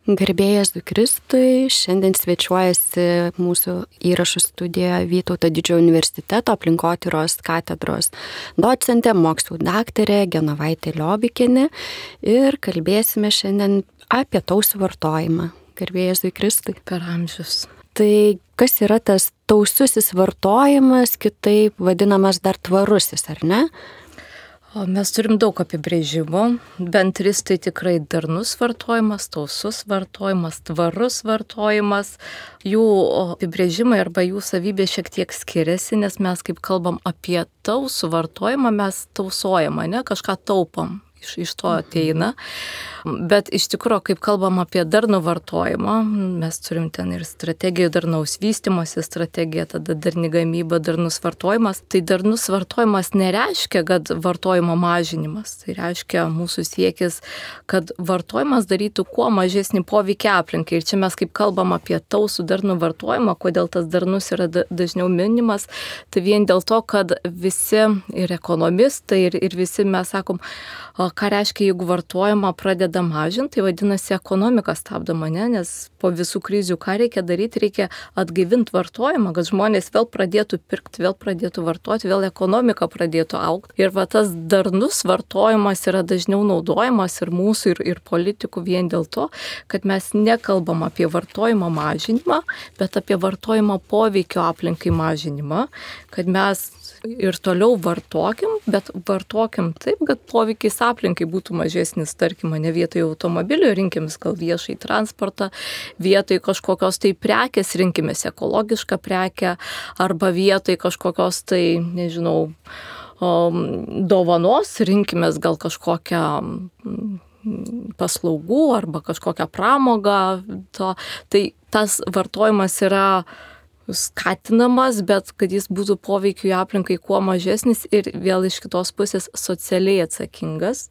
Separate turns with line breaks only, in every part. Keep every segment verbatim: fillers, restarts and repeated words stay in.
Garbėjas Kristui, šiandien svečiuojasi mūsų įrašų studijoje Vytauto Didžiojo universiteto aplinkotyros katedros docentė, mokslų daktarė Genovaitė Liobikienė ir kalbėsime šiandien apie tausų vartojimą. Garbėjas Kristui.
Per amžius.
Tai kas yra tas taususis vartojimas, kitaip vadinamas dar tvarusis, ar ne?
O mes turim daug apibrėžimų, bent tris tai tikrai darnus vartojimas, tausus vartojimas, tvarus vartojimas. Jų apibrėžimai arba jų savybės šiek tiek skiriasi, nes mes kaip kalbam apie tausų vartojimą, mes tausojam, ne, kažką taupom. Iš, iš to ateina. Bet iš tikrųjų, kaip kalbam apie darnų vartojimą, mes turim ten ir strategijų darnaus vystymosi strategija, tada darni gamyba, darnus vartojimas. Tai darnus vartojimas nereiškia, kad vartojimo mažinimas. Tai reiškia mūsų siekis, kad vartojimas darytų kuo mažesnį poveikį aplinkai. Ir čia mes kaip kalbam apie tausų darnų vartojimą, kodėl tas darnus yra dažniau minimas, tai vien dėl to, kad visi ir ekonomistai, ir, ir visi mes sakom, ką reiškia, jeigu vartojimą pradeda mažinti, tai vadinasi ekonomika stabdoma, ne? Nes po visų krizių ką reikia daryti, reikia atgaivinti vartojimą, kad žmonės vėl pradėtų pirkti, vėl pradėtų vartoti, vėl ekonomika pradėtų augti. Ir va tas darnus vartojimas yra dažniau naudojamas ir mūsų, ir, ir politikų vien dėl to, kad mes nekalbam apie vartojimo mažinimą, bet apie vartojimo poveikio aplinkai mažinimą, kad mes ir toliau vartokim, bet vartokim taip, kad poveikis aplinkai būtų mažesnis, tarkim, ne vietoj automobilio rinkimės gal viešai transportą, vietoj kažkokios tai prekės rinkimės ekologišką prekę, arba vietoj kažkokios tai, nežinau, dovanos rinkimės gal kažkokią paslaugų arba kažkokią pramogą. To. Tai tas vartojimas yra skatinamas, bet kad jis būtų poveikiui aplinkai kuo mažesnis ir vėl iš kitos pusės socialiai atsakingas.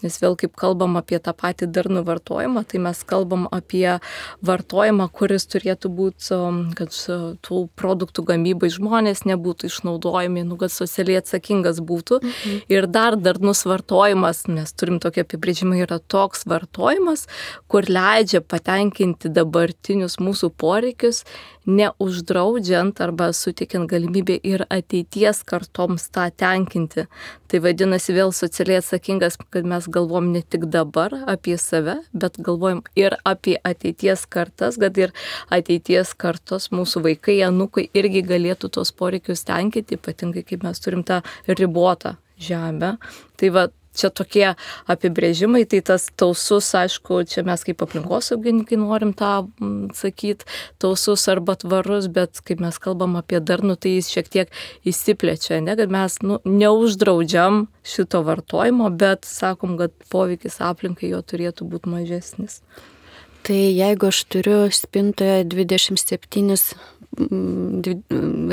Nes vėl kaip kalbam apie tą patį darnų vartojimą, tai mes kalbam apie vartojimą, kuris turėtų būti, kad tų produktų gamybai žmonės nebūtų išnaudojami, nu, kad socialiai atsakingas būtų. Mhm. Ir dar darnus vartojimas, mes turim tokį apibrėžimą, yra toks vartojimas, kur leidžia patenkinti dabartinius mūsų poreikius, neuždraudžiant arba suteikiant galimybę ir ateities kartoms tą tenkinti. Tai vadinasi vėl socialiai atsakingas, kad mes galvom ne tik dabar apie save, bet galvojam ir apie ateities kartas, kad ir ateities kartos mūsų vaikai, anūkai irgi galėtų tos poreikius tenkinti, ypatingai kaip mes turim tą ribotą žemę. Tai va, čia tokie apibrėžimai, tai tas tausus, aišku, čia mes kaip aplinkosaugininkai norim tą sakyti, tausus arba tvarus, bet kaip mes kalbam apie darnų, tai jis šiek tiek įsiplečia, ne, kad mes nu, neuždraudžiam šito vartojimo, bet sakom, kad poveikis aplinkai jo turėtų būti mažesnis.
Tai jeigu aš turiu spintoje dvidešimt septynis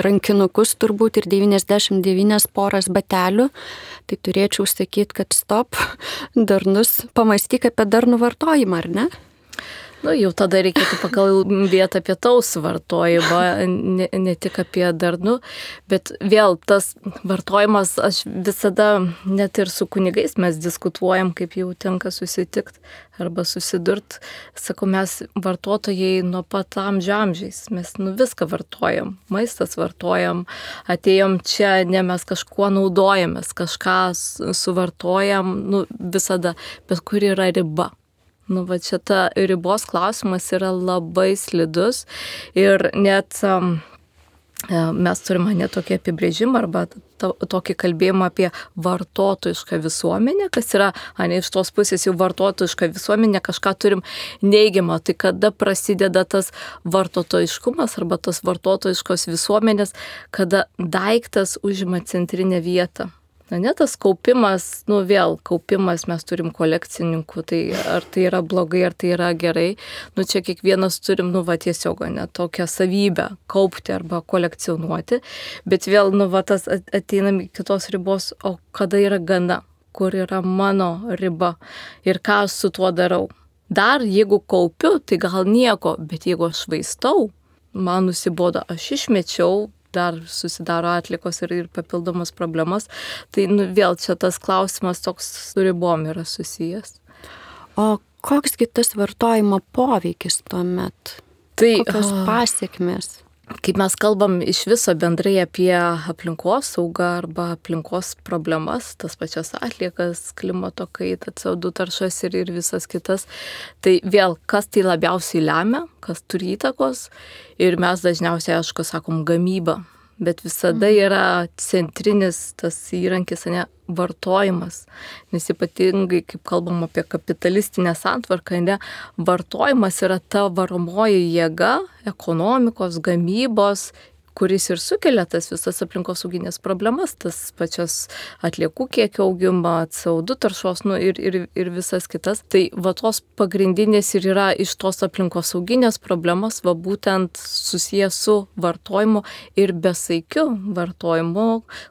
rankinukus turbūt ir devyniasdešimt devynias poras batelių, tai turėčiau sakyti, kad stop, darnus, pamąstyk apie darnų vartojimą, ar ne?
Nu, jau tada reikėtų pakalbėti apie tausų vartojimą, ne, ne tik apie darnų, bet vėl tas vartojimas, aš visada net ir su kunigais mes diskutuojam, kaip jau tenka susitikti arba susidurt. Sakau, mes vartotojai nuo pat amžių amžiais, mes nu, viską vartojam, maistas vartojam, atėjom čia, ne mes kažkuo naudojamės, kažką suvartojam, nu, visada, bet kur yra riba. Nu, va, čia ta ribos klausimas yra labai slidus ir net um, mes turime net tokį apibrėžimą arba to, tokį kalbėjimą apie vartotojišką visuomenę, kas yra, ne iš tos pusės jau vartotojiška visuomenė, kažką turim neigiamą, tai kada prasideda tas vartotojiškumas arba tos vartotojiškos visuomenės, kada daiktas užima centrinę vietą. Na, ne tas kaupimas, nu vėl kaupimas, mes turim kolekcininkų, tai ar tai yra blogai, ar tai yra gerai, nu čia kiekvienas turim, nu va tiesiog, ne, tokią savybę kaupti arba kolekcionuoti, bet vėl, nu va tas ateinam į kitos ribos, o kada yra gana, kur yra mano riba ir ką aš su tuo darau. Dar jeigu kaupiu, tai gal nieko, bet jeigu aš švaistau, man nusibodo, aš išmečiau, dar susidaro atlikos ir, ir papildomas problemas. Tai nu, vėl čia tas klausimas toks su ribom yra susijęs.
O koksgi tas vartojimo poveikis tuomet?
Tai
kokios pasiekmės?
Kaip mes kalbam iš viso bendrai apie aplinkos saugą arba aplinkos problemas, tas pačias atliekas, klimato kaitą, C O du taršas ir, ir visas kitas, tai vėl kas tai labiausiai lemia, kas turi įtakos ir mes dažniausiai, aišku, sakom gamybą, bet visada yra centrinis tas įrankis, ne, vartojimas, nes ypatingai, kaip kalbam apie kapitalistinę santvarką, ne, vartojimas yra ta varomoji jėga ekonomikos, gamybos, kuris ir sukelia tas visas aplinkosauginės problemas, tas pačias atliekų kiekio augimą, C O du taršos nu, ir, ir, ir visas kitas. Tai va tos pagrindinės ir yra iš tos aplinkosauginės problemos, va būtent susijęs su vartojimu ir besaikiu vartojimu,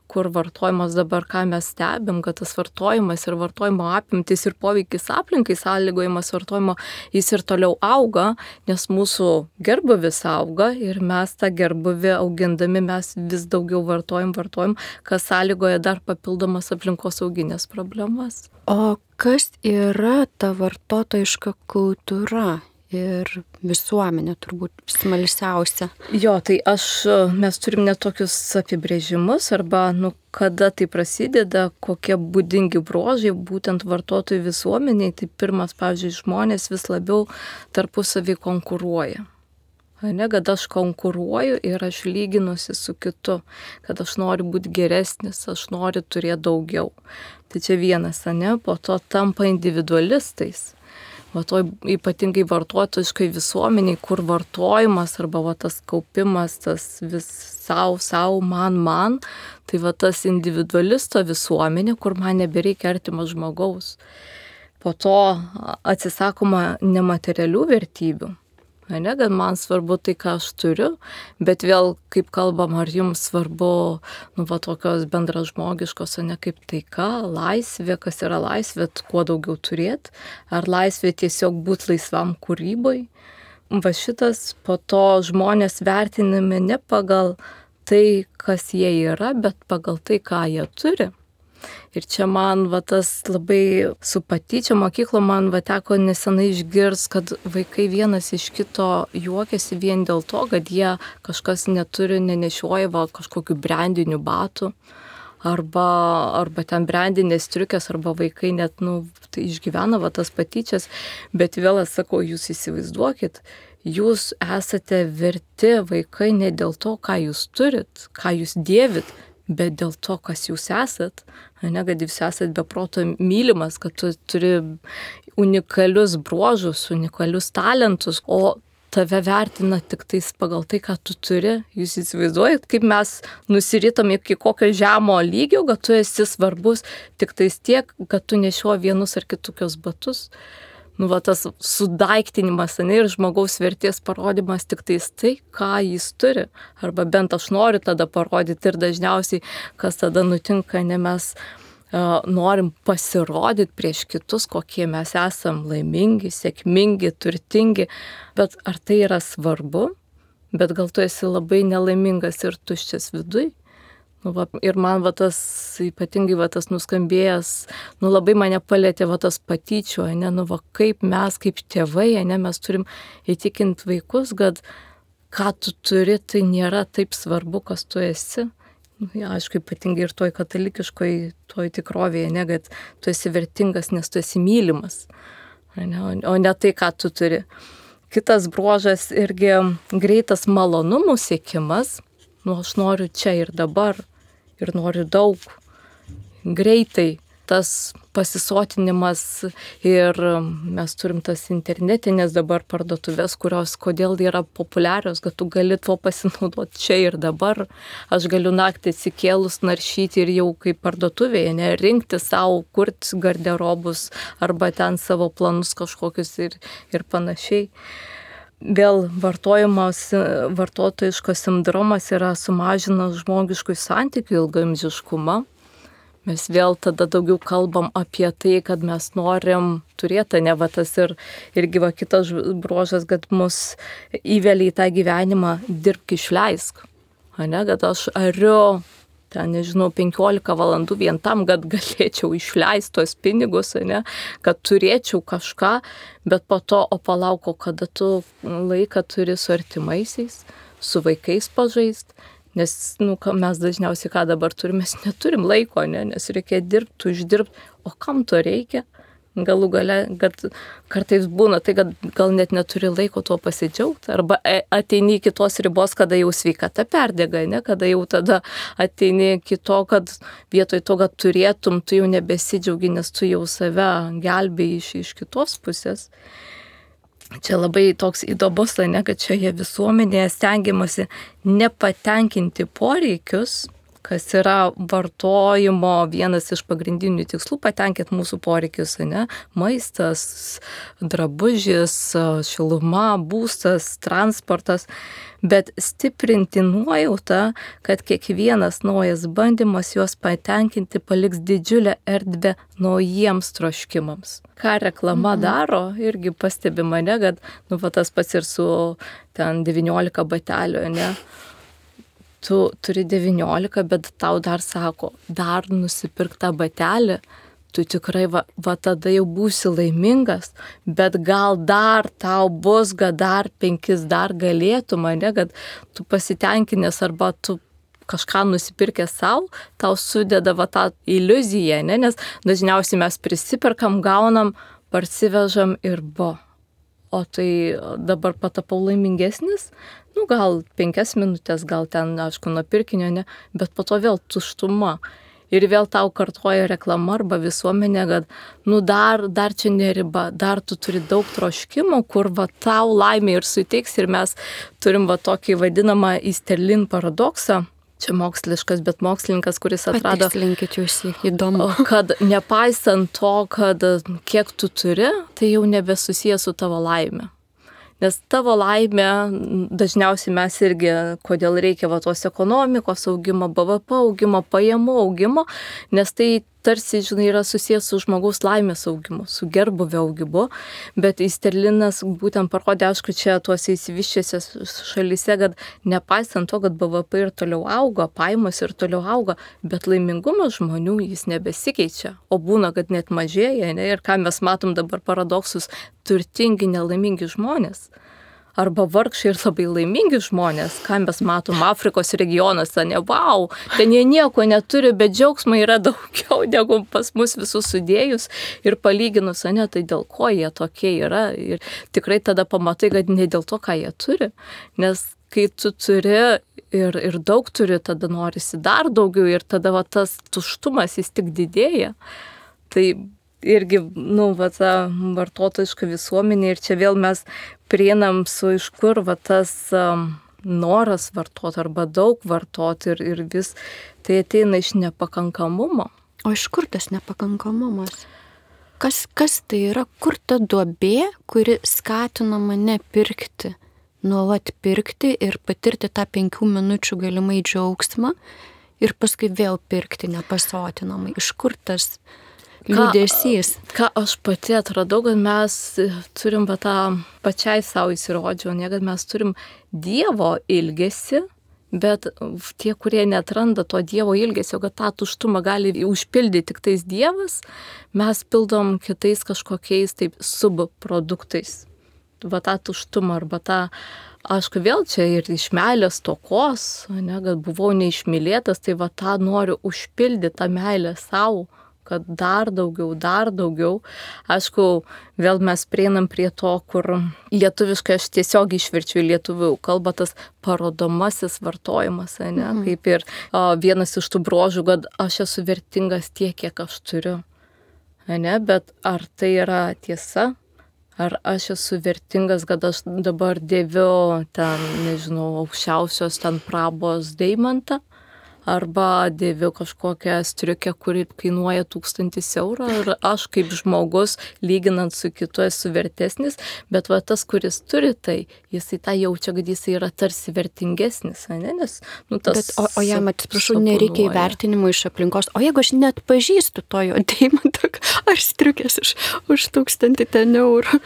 kur vartojimas dabar, ką mes stebim, kad tas vartojimas ir vartojimo apimtis ir poveikis aplinkai sąlygojimas vartojimo, jis ir toliau auga, nes mūsų gerbūvis auga ir mes tą gerbūvį augindami mes vis daugiau vartojam, vartojam, kas sąlygoja dar papildomas aplinkosauginės problemas.
O kas yra ta vartotojiška kultūra? Ir visuomenė turbūt smalsiausia.
Jo, tai aš, mes turim net tokius apibrėžimus arba, nu, kada tai prasideda, kokie būdingi bruožai būtent vartotojų visuomeniai. Tai pirmas, pavyzdžiui, žmonės vis labiau tarpusavį konkuruoja. Ne, kad aš konkuruoju ir aš lyginuosi su kitu, kad aš noriu būti geresnis, aš noriu turėti daugiau. Tai čia vienas, ne, po to tampa individualistais. Va to ypatingai vartotojiškai visuomeniai, kur vartojimas arba va tas kaupimas, tas vis savo, savo, man, man, tai va tas individualisto visuomenė, kur man nebereikia artimo žmogaus. Po to atsisakoma nematerialių vertybių. Ne, kad man svarbu tai, ką aš turiu, bet vėl, kaip kalbam, ar jums svarbu, nu, va, tokios bendražmogiškos, o ne kaip taika, laisvė, kas yra laisvė, kuo daugiau turėti, ar laisvė tiesiog būti laisvam kūryboj. Va šitas, po to žmonės vertinami ne pagal tai, kas jie yra, bet pagal tai, ką jie turi. Ir čia man va tas labai su patyčia mokyklo man va teko nesenai išgirs, kad vaikai vienas iš kito juokiasi vien dėl to, kad jie kažkas neturi, nenešioja va kažkokių brandinių batų arba, arba ten brandinės striukės, arba vaikai net, nu, tai išgyvena va tas patyčias, bet vėl aš sakau, jūs įsivaizduokit, jūs esate verti vaikai ne dėl to, ką jūs turit, ką jūs dėvit, bet dėl to, kas jūs esat, ne, kad jūs esat be proto mylimas, kad tu turi unikalius bruožus, unikalius talentus, o tave vertina tik tais pagal tai, ką tu turi. Jūs įsivaizduojat, kaip mes nusiritom iki kokio žemo lygio, kad tu esi svarbus tik tais tiek, kad tu nešioji vienus ar kitokius batus. Nu, va, tas sudaiktinimas, ne, ir žmogaus vertės parodimas tik tais tai, ką jis turi. Arba bent aš noriu tada parodyti ir dažniausiai, kas tada nutinka, ne, mes uh, norim pasirodyti prieš kitus, kokie mes esam laimingi, sėkmingi, turtingi, bet ar tai yra svarbu, bet gal tu esi labai nelaimingas ir tuščias viduj. Nu, va, ir man va tas, ypatingai va tas nuskambėjęs, nu labai mane palėtė va tas patyčių, ne, nu va kaip mes, kaip tėvai, ne, mes turim įtikinti vaikus, kad ką tu turi, tai nėra taip svarbu, kas tu esi. Nu, ja, aišku, ypatingai ir toj katalikiškoj, toj tikrovėje, ne, kad tu esi vertingas, nes tu esi mylimas, ne, o ne tai, ką tu turi. Kitas bruožas irgi greitas malonumų siekimas. Nu, aš noriu čia ir dabar, ir noriu daug, greitai, tas pasisotinimas ir mes turim tas internetinės dabar parduotuvės, kurios kodėl yra populiarios, kad tu gali tuo pasinaudoti čia ir dabar. Aš galiu naktį atsikėlus naršyti ir jau kaip parduotuvėje, ne, rinkti savo, kurti garderobus arba ten savo planus kažkokius ir, ir panašiai. Vėl vartojimas, vartotojiškas sindromas yra sumažinas žmogiškų santykių ilgaamžiškumą. Mes vėl tada daugiau kalbam apie tai, kad mes norim turėti, ne va tas ir, irgi va kitas bruožas, kad mus įvelia į tą gyvenimą dirbk išleisk. Ne, kad aš ariu ten, nežinau, penkiolika valandų vien tam, kad galėčiau išleisti tos pinigus, ne, kad turėčiau kažką, bet po to, o palauko, kada tu laiką turi su artimaisiais, su vaikais pažaist, nes nu, mes dažniausiai ką dabar turime, mes neturim laiko, ne, nes reikia dirbti, uždirbti, o kam to reikia? Galų gale, kad kartais būna tai, kad gal net neturi laiko tuo pasidžiaugti, arba ateini iki tos ribos, kada jau sveikata perdega, ne? Kada jau tada ateini iki to, kad vietoj to, kad turėtum, tu jau nebesidžiaugi, nes tu jau save gelbėjai iš, iš kitos pusės. Čia labai toks įdomus, ne, kad šioje visuomenėje stengiamasi nepatenkinti poreikius, kas yra vartojimo vienas iš pagrindinių tikslų, patenkinti mūsų poreikius, ne? Maistas, drabužis, šiluma, būstas, transportas, bet stiprinti nuojautą, kad kiekvienas naujas bandymas juos patenkinti paliks didžiulę erdvę naujiems troškimams. Ką reklama mhm. daro, irgi pastebi mane, kad nu, va, tas pats ir su ten devyniolika batelių, ne? Tu turi devyniolika, bet tau dar sako, dar nusipirk tą batelį, tu tikrai va, va tada jau būsi laimingas, bet gal dar tau bus, kad dar penkis dar galėtum, ne, kad tu pasitenkinęs arba tu kažką nusipirkęs savo, tau sudeda va tą iliuziją, ne, nes dažniausiai mes prisiperkam, gaunam, parsivežam ir bo. O tai dabar patapau laimingesnis, nu gal penkias minutės, gal ten, aišku, nuo pirkinio, ne, bet po to vėl tuštuma. Ir vėl tau kartoja reklama arba visuomenė, kad, nu dar, dar čia neriba, dar tu turi daug troškimo, kur va tau laimė ir suteiks. Ir mes turim va tokį vadinamą Easterlin paradoksą. Čia moksliškas, bet mokslininkas, kuris atrado,
patikslinkit jūs, įdomu,
kad nepaisant to, kad kiek tu turi, tai jau nebesusijęs su tavo laime. Nes tavo laimė, dažniausiai mes irgi, kodėl reikia va tos ekonomikos augimo, B V P augimo, pajamų augimo, nes tai tarsi, žinai, yra susijęs su žmogaus laimės augimu, su gerbūvio augimu, bet Easterlinas būtent parodė, aišku, čia tuose įsivyščiuose šalyse, kad nepaisant to, kad B V P ir toliau auga, pajamos ir toliau auga, bet laimingumas žmonių jis nebesikeičia, o būna, kad net mažėja, ne? Ir ką mes matom dabar paradoksus, turtingi, nelaimingi žmonės. Arba vargšai ir labai laimingi žmonės, ką mes matom Afrikos regionuose, ne, wow, ten jie nieko neturi, bet džiaugsmo yra daugiau negu pas mus visus sudėjus ir palyginus, ne, tai dėl ko jie tokie yra. Ir tikrai tada pamatai, kad ne dėl to, ką jie turi, nes kai tu turi ir, ir daug turi, tada norisi dar daugiau ir tada va, tas tuštumas jis tik didėja. Tai irgi, nu, va, ta vartotojiška visuomenė ir čia vėl mes prieinam su iš kur va tas um, noras vartoti arba daug vartoti ir, ir vis tai ateina iš nepakankamumo.
O iš kur tas nepakankamumas? Kas, kas tai yra? Kur ta duobė, kuri skatina mane pirkti, nuolat pirkti ir patirti tą penkių minučių galimai džiaugsmą ir paskui vėl pirkti nepasotinamai? Iš kur tas liūdesys?
Ką, ką aš pati atradau, kad mes turim va tą pačiai savo įsirodžiau, ne, kad mes turim Dievo ilgesį, bet tie, kurie neatranda to Dievo ilgesio, kad tą tuštumą gali užpildyti tik tais Dievas, mes pildom kitais kažkokiais taip subproduktais. Va tą tuštumą arba tą, aišku, vėl čia ir iš meilės stokos, ne, kad buvau neišmylėtas, tai va tą noriu užpildyti tą meilę savo, kad dar daugiau, dar daugiau. Aišku, vėl mes prieinam prie to, kur lietuviškai aš tiesiog išverčiu į lietuvių kalbą, tas parodomasis vartojimas, ne? Mhm. Kaip ir o, vienas iš tų brožų, kad aš esu vertingas tiek, kiek aš turiu. Ne? Bet ar tai yra tiesa? Ar aš esu vertingas, kad aš dabar dėviu ten, nežinau, aukščiausios ten prabos deimantą? Arba dėviu kažkokią striukę, kuri kainuoja tūkstantis eurų ir aš kaip žmogus, lyginant su kitu, esu vertesnis, bet va tas, kuris turi tai, jisai tą jaučia, kad jisai yra tarsi vertingesnis, ne? Nes, nu, tas
bet, o, o jam, atsiprašau, nereikia įvertinimo iš aplinkos, o jeigu aš net pažįstu to jo deimantą ar striukės už, už tūkstantį ten eurų,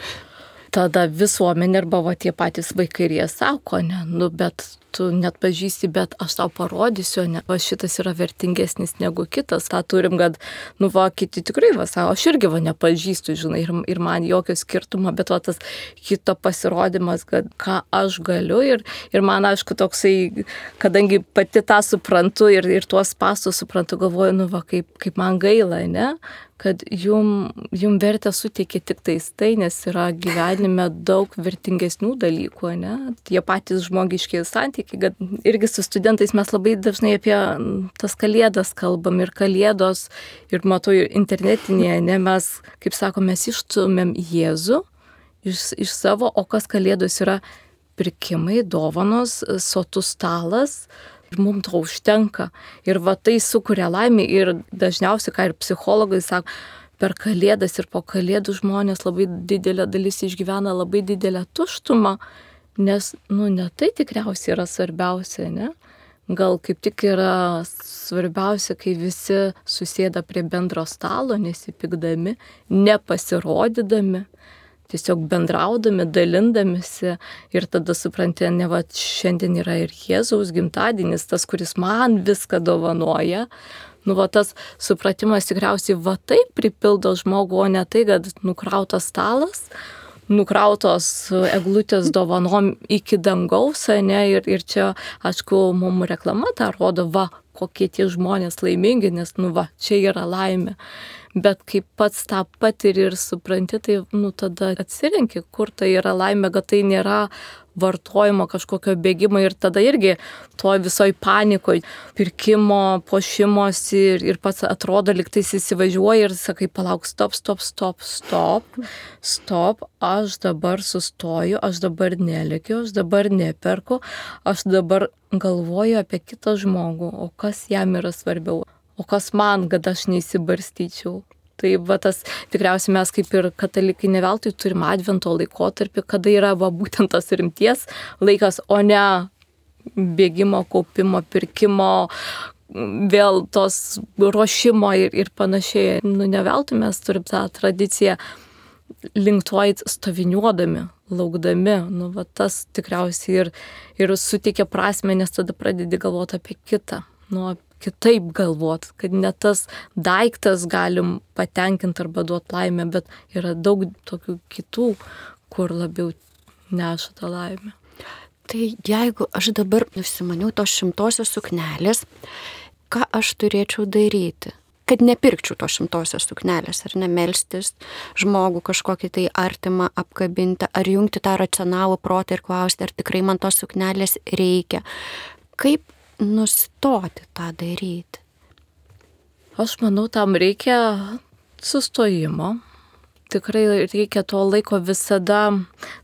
tada visuomenė arba va tie patys vaikai ir jie sako, ne, nu bet tu net pažįsti, bet aš tau parodysiu, ne, va šitas yra vertingesnis negu kitas, tą turim, kad, nu va, kiti tikrai va, sako, aš irgi va nepažįstu, žinai, ir, ir man jokio skirtumo, bet va tas kito pasirodymas, kad ką aš galiu ir, ir man, aišku, toksai, kadangi pati tą suprantu ir, ir tuos pastus suprantu, galvoju, nu va, kaip, kaip man gaila, ne, kad jum, jum vertę suteikia tik tais tai, nes yra gyvenime daug vertingesnių dalykų, ne? Tie patys žmogiški santykiai, kad irgi su studentais mes labai dažnai apie tas kalėdas kalbam ir kalėdos, ir matau ir internetinėje, ne, mes, kaip sako, mes išstumėm Jėzų iš, iš savo, o kas kalėdos yra pirkimai, dovanos, sotus stalas. Ir mums to užtenka. Ir va tai sukuria laimę ir dažniausiai, ką ir psichologai sako, per kalėdas ir po kalėdų žmonės labai didelė dalis išgyvena labai didelę tuštumą, nes, nu, ne tai tikriausiai yra svarbiausia, ne? Gal kaip tik yra svarbiausia, kai visi susėda prie bendro stalo, nesipykdami, nepasirodydami, tiesiog bendraudami, dalindamisi ir tada supranti, ne va, šiandien yra ir Jėzaus gimtadienis, tas, kuris man viską dovanoja. Nu va, tas supratimas tikriausiai va taip pripildo žmogų, o ne tai, kad nukrautas stalas, nukrautos eglutės dovanom iki dangaus, ne, ir, ir čia, aišku, mums reklama tą rodo, va, kokie tie žmonės laimingi, nes, nu va, čia yra laimė. Bet kai pats tą patiri ir supranti, tai, nu, tada atsirenki, kur tai yra laimė, kad tai nėra vartojimo kažkokio bėgimo ir tada irgi to visoj panikoj, pirkimo, puošimosi ir, ir pats atrodo, lyg tais įsivažiuoji ir sakai, palauk, stop, stop, stop, stop, stop, aš dabar sustoju, aš dabar nelikiu, aš dabar neperku, aš dabar galvoju apie kitą žmogų, o kas jam yra svarbiau. O kas man, kad aš neįsibarstyčiau. Tai va tas tikriausiai mes kaip ir katalikai ne veltui turim advento laikotarpį, kada yra va būtent tas rimties laikas, o ne bėgimo, kaupimo, pirkimo, vėl tos ruošimo ir, ir panašiai. Nu ne veltui mes turim tą tradiciją link to eit stoviniuodami, laukdami. Nu va tas tikriausiai ir, ir suteikia prasmę, nes tada pradedi galvoti apie kitą. Nu, kitaip galvot, kad ne tas daiktas galim patenkinti arba duoti laimę, bet yra daug tokių kitų, kur labiau neša tą laimę.
Tai jeigu aš dabar nusimaniau tos šimtosios suknelės, ką aš turėčiau daryti? Kad nepirkčiau tos šimtosios suknelės, ar ne, melstis žmogų kažkokį tai artimą apkabinti, ar jungti tą racionalų protą ir klausti, ar tikrai man tos suknelės reikia. Kaip nustoti tą daryti?
Aš manau, tam reikia sustojimo. Tikrai reikia to laiko visada,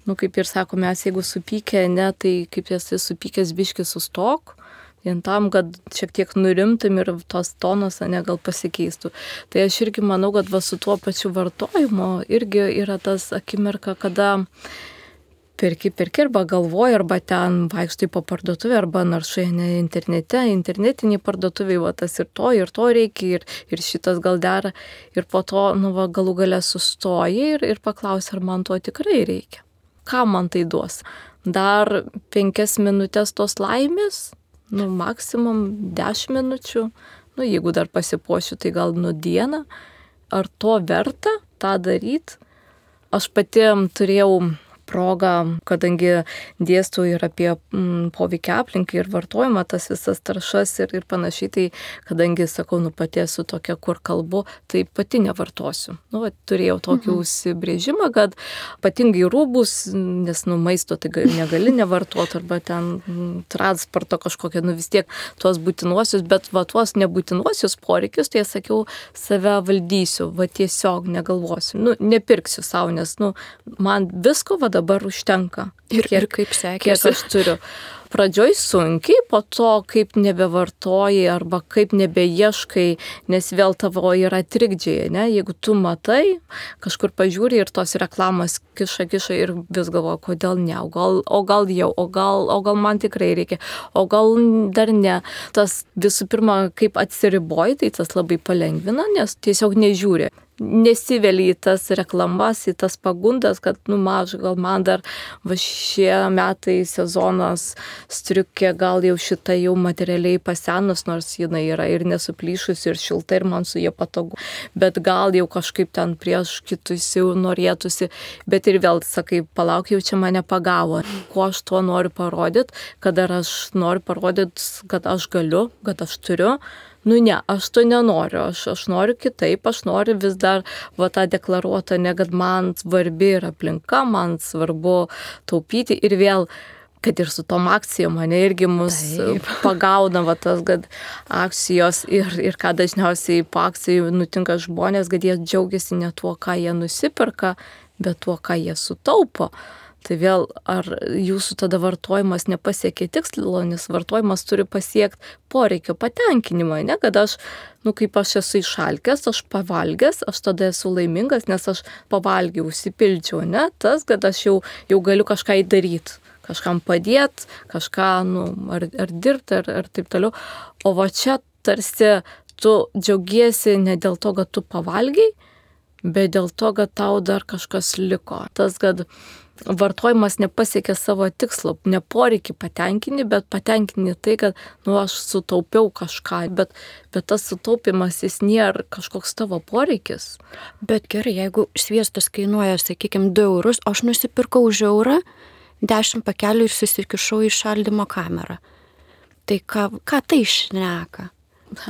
nu kaip ir sako, mes jeigu supykę, ne, tai kaip esi supykęs biški sustok, vien tam, kad šiek tiek nurimtum ir tos tonos, ne, gal pasikeistų. Tai aš irgi manau, kad va su tuo pačiu vartojimu irgi yra tas akimirka, kada perki, perki arba galvoji, arba ten vaikštai po parduotuvę, arba naršai ne internete, internetiniai parduotuviai, va tas ir to, ir to reikia, ir, ir šitas gal dera. Ir po to, nu va, galų gale sustoji ir, ir paklausi, ar man to tikrai reikia. Ką man tai duos? Dar penkias minutės tos laimės, nu maksimum dešimt minučių, nu jeigu dar pasipuošiu, tai gal nu dieną. Ar to verta tą daryti? Aš pati turėjau progą, kadangi dėstau ir apie mm, poveikį aplinkai ir vartojimą, tas visas taršas ir, ir panašiai, tai kadangi, sakau, nu pati esu tokia, kur kalbu, tai pati nevartosiu. Nu, va, turėjau tokį mhm. užsibrėžimą, kad ypatingai rūbus, nes nu maisto tai negali nevartoti, arba ten mm, transporto kažkokia, nu vis tiek tuos būtinuosius, bet va tuos nebūtinuosius poreikius, tai sakiau, save valdysiu, va tiesiog negalvosiu, nu nepirksiu savo, nes nu man visko va dabar užtenka.
Ir,
kiek,
ir kaip sekėsi?
Kiek aš turiu. Pradžioj sunkiai, po to kaip nebevartoji arba kaip nebeieškai, nes vėl tavo yra trikdžiai, ne? Jeigu tu matai, kažkur pažiūri ir tos reklamos kiša, kiša ir vis galvoja, kodėl ne, o gal, o gal jau, o gal, o gal man tikrai reikia, o gal dar ne. Tas visų pirma, kaip atsiriboji, tai tas labai palengvina, nes tiesiog nežiūri. nesiveli į tas reklamas, į tas pagundas, kad, nu, maža, gal man dar va šie metai sezonas striukė, gal jau šita jau materialiai pasenus, nors jinai yra ir nesuplyšusi, ir šilta, ir man su jie patogu, bet gal jau kažkaip ten prieš kitus jau norėtųsi, bet ir vėl, sakai, palauk, jau čia mane pagavo. Ko aš tuo noriu parodyti, kad ar aš noriu parodyti, kad aš galiu, kad aš turiu. Nu ne, aš to nenoriu, aš, aš noriu kitaip, aš noriu vis dar va tą deklaruotą, ne, kad man svarbi yra aplinka, man svarbu taupyti ir vėl, kad ir su tom akcijom mane irgi mus Taip. Pagauna va tas, kad akcijos ir, ir ką dažniausiai po akcijų nutinka žmonės, kad jie džiaugiasi ne tuo, ką jie nusipirka, bet tuo, ką jie sutaupo. Tai vėl, ar jūsų tada vartojimas nepasiekia tikslo, nes vartojimas turi pasiekti poreikio patenkinimą, ne, kad aš, nu, kaip aš esu išalkęs, aš pavalgęs, aš tada esu laimingas, nes aš pavalgiau, užsipildžiau, ne, tas, kad aš jau, jau galiu kažką įdaryti, kažkam padėti, kažką, nu, ar, ar dirbti, ar, ar taip toliau. O va čia tarsi tu džiaugiesi ne dėl to, kad tu pavalgiai, bet dėl to, kad tau dar kažkas liko. Tas, kad vartojimas nepasiekia savo tikslo, ne poreikį patenkinti, bet patenkinti tai, kad, nu, aš sutaupiau kažką, bet, bet tas sutaupimas jis nėra kažkoks tavo poreikis.
Bet gerai, jeigu sviestas kainuoja, sakykime, du eurus, aš nusipirkau už eurą, dešimt pakelių ir susikišau į šaldymo kamerą. Tai ką, ką tai šneka?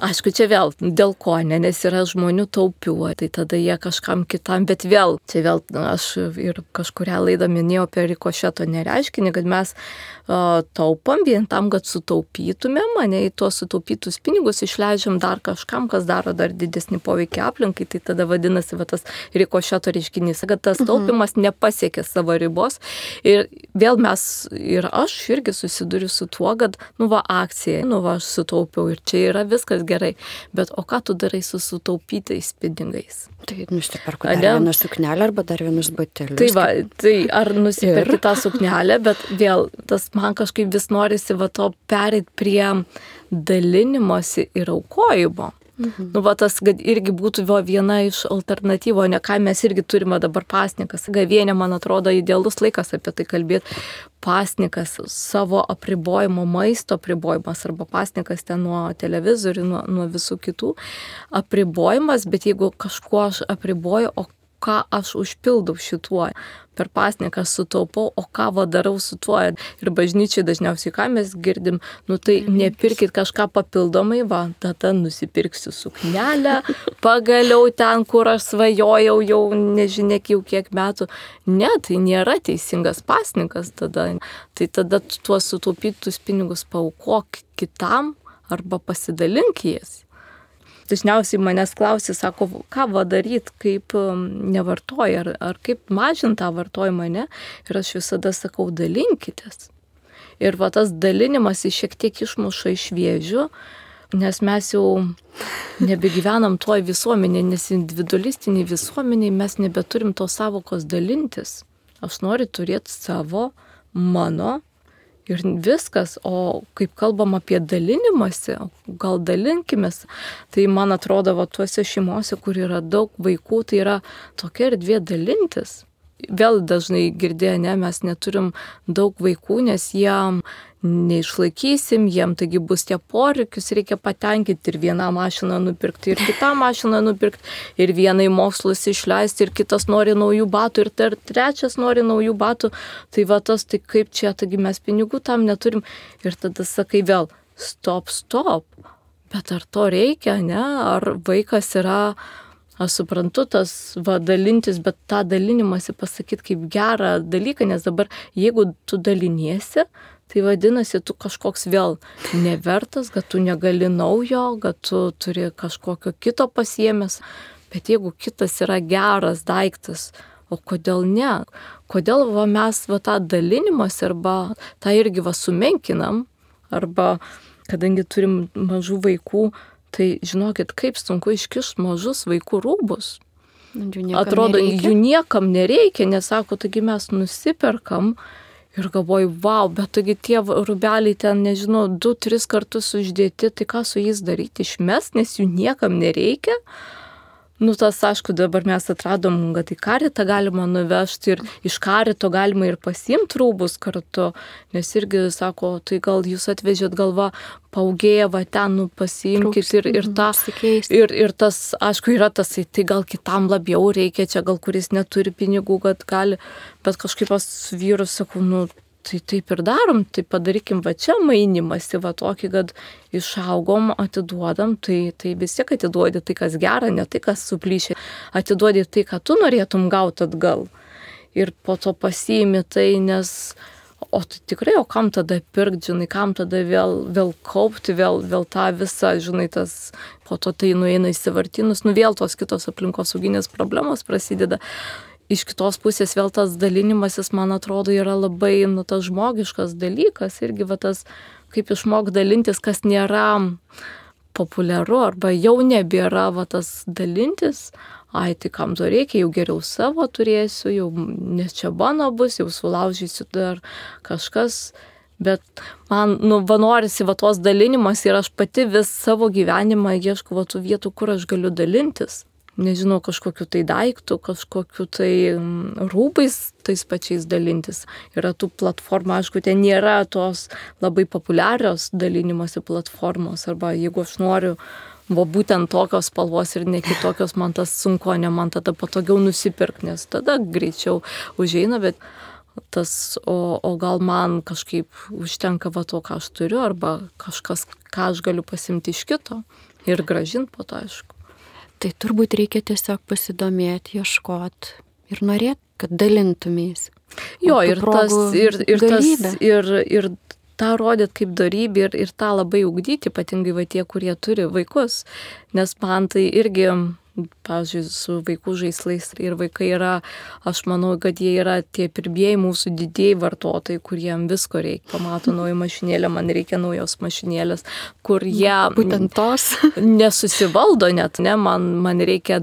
Aišku, čia vėl dėl ko, ne, nes yra žmonių taupių, tai tada jie kažkam kitam, bet vėl, čia vėl aš ir kažkurią laidą minėjau apie rikošeto nereiškinį, kad mes uh, taupam vien tam, kad sutaupytumėm, mane į tuos sutaupytus pinigus išleidžiam dar kažkam, kas daro dar didesnį poveikį aplinkai, tai tada vadinasi va, tas rikošeto reiškinys, kad tas taupimas mhm. nepasiekia savo ribos ir vėl mes ir aš irgi susiduriu su tuo, kad, nu va, akcija, nu va, aš sutaupiau ir čia yra viskas kas gerai, bet o ką tu darai su sutaupytais pinigais?
Tai nusiperku dar vieną suknelę arba dar vienus batelius.
Tai va, tai ar nusiperki ir... tą suknelę, bet vėl tas man kažkaip vis norisi va to pereit prie dalinimosi ir aukojimo. Mhm. Nu, va tas, kad irgi būtų va, viena iš alternatyvo, ne ką mes irgi turime dabar pasnikas. Gavienė, man atrodo, idealus laikas apie tai kalbėti. Pasnikas, savo apribojimo, maisto apribojimas arba pasnikas ten nuo televizorių, nuo, nuo visų kitų apribojimas, bet jeigu kažkuo aš apriboju, o ką aš užpildau šituo, per pasniką sutaupau, o ką va darau su tuo. Ir bažnyčiai dažniausiai, ką mes girdim, nu tai nepirkit kažką papildomai, va, tada nusipirksiu suknelę, pagaliau ten, kur aš svajojau jau nežinia jau kiek metų. Ne, tai nėra teisingas pasnikas tada. Tai tada tuos sutaupytus pinigus paaukok kitam arba pasidalink jais. Dažniausiai manęs klausia, sako, ką va daryt, kaip nevartoji, ar, ar kaip mažinti tą vartojimą, ne? Ir aš visada sakau, dalinkitės. Ir va tas dalinimas jis šiek tiek išmuša iš vėžių, nes mes jau nebegyvenam toj visuomenė, nes individualistiniai visuomeniai mes nebeturim tos savokos dalintis. Aš noriu turėti savo, mano, ir viskas, o kaip kalbam apie dalinimąsi, gal dalinkimės, tai man atrodo, va, tuose šeimose, kur yra daug vaikų, tai yra tokia erdvė dalintis. Vėl dažnai girdėjo, ne, mes neturim daug vaikų, nes jiem neišlaikysim, jiem taigi bus tie poreikius, reikia patenkinti ir vieną mašiną nupirkti, ir kitą mašiną nupirkti, ir vienai mokslus išleisti, ir kitas nori naujų batų, ir tar, trečias nori naujų batų. Tai va tas, tai kaip čia, taigi mes pinigų tam neturim. Ir tada sakai vėl, stop, stop. Bet ar to reikia, ne? Ar vaikas yra... Aš suprantu tas va, dalintis, bet tą dalinimąsi pasakyti kaip gerą dalyką, nes dabar jeigu tu daliniesi, tai vadinasi, tu kažkoks vėl nevertas, kad tu negali naujo, kad tu turi kažkokio kito pasiėmęs, bet jeigu kitas yra geras daiktas, o kodėl ne? Kodėl va, mes va, tą dalinimąsi arba tą irgi va, sumenkinam, arba kadangi turim mažų vaikų, tai žinokit, kaip sunku iškišti mažus vaikų rūbus.
Jų
Atrodo,
nereikia.
jų niekam nereikia, nes sako, taigi mes nusiperkam ir galvoju, wow, bet taigi tie rūbeliai ten, nežinau, du, tris kartus uždėti, tai ką su jais daryti, išmest, nes jų niekam nereikia. Nu, tas, aišku, dabar mes atradom, kad į karitą galima nuvežti ir iš karito galima ir pasiimti rūbus kartu, nes irgi sako, tai gal jūs atvežėt galva, paugėję, va ten, nu, pasiimkit ir, ir, ta, ir, ir tas, aišku, yra tas, tai gal kitam labiau reikia, čia gal kuris neturi pinigų, kad gali, bet kažkaip pas vyrus sakau, nu, tai taip ir darom, tai padarykim va čia mainimąsi, va tokį, kad išaugom, atiduodam, tai, tai vis tiek atiduodi tai, kas gera, ne tai, kas suplyšė, atiduodi tai, ką tu norėtum gauti atgal. Ir po to pasiimi tai, nes, o tai tikrai, o kam tada pirkti, žinai, kam tada vėl, vėl kaupti, vėl, vėl tą visą, žinai, tas, po to tai nueina į sąvartynus, nu vėl tos kitos aplinkosauginės problemos prasideda. Iš kitos pusės vėl tas dalinimasis, man atrodo, yra labai, nu, tas žmogiškas dalykas, irgi va tas, kaip išmok dalintis, kas nėra populiaru, arba jau nebėra va tas dalintis, ai, tai kam to reikia, jau geriau savo turėsiu, jau, nes čia mano bus, jau sulaužysiu dar kažkas, bet man, nu, va norisi va tos dalinimas ir aš pati vis savo gyvenimą ieškau va tų vietų, kur aš galiu dalintis. Nežinau, kažkokiu tai daiktų, kažkokiu tai rūbais tais pačiais dalintis. Yra tų platformų, aišku, ten nėra tos labai populiarios dalinimosi platformos, arba jeigu aš noriu, va būtent tokios spalvos ir ne kitokios, man tas sunku, ne man tada patogiau nusipirkti, nes tada greičiau užeina, bet tas, o, o gal man kažkaip užtenka va to, ką aš turiu, arba kažkas, ką aš galiu pasimti iš kito ir grąžinti po to, aišku.
Tai turbūt reikia tiesiog pasidomėti, ieškoti ir norėti, kad dalintumės.
Jo, ir tas, ir, ir tas, ir, ir tą rodyt kaip darybę ir, ir tą labai ugdyti, ypatingai va tie, kurie turi vaikus. Nes man tai irgi, pavyzdžiui, su vaikų žaislais ir vaikai yra, aš manau, kad jie yra tie pirmieji mūsų didieji vartotojai, kuriem visko reikia. Pamato naują mašinėlę, man reikia naujos mašinėlės, kur jie
būtent tos
nesusivaldo net, ne, man, man reikia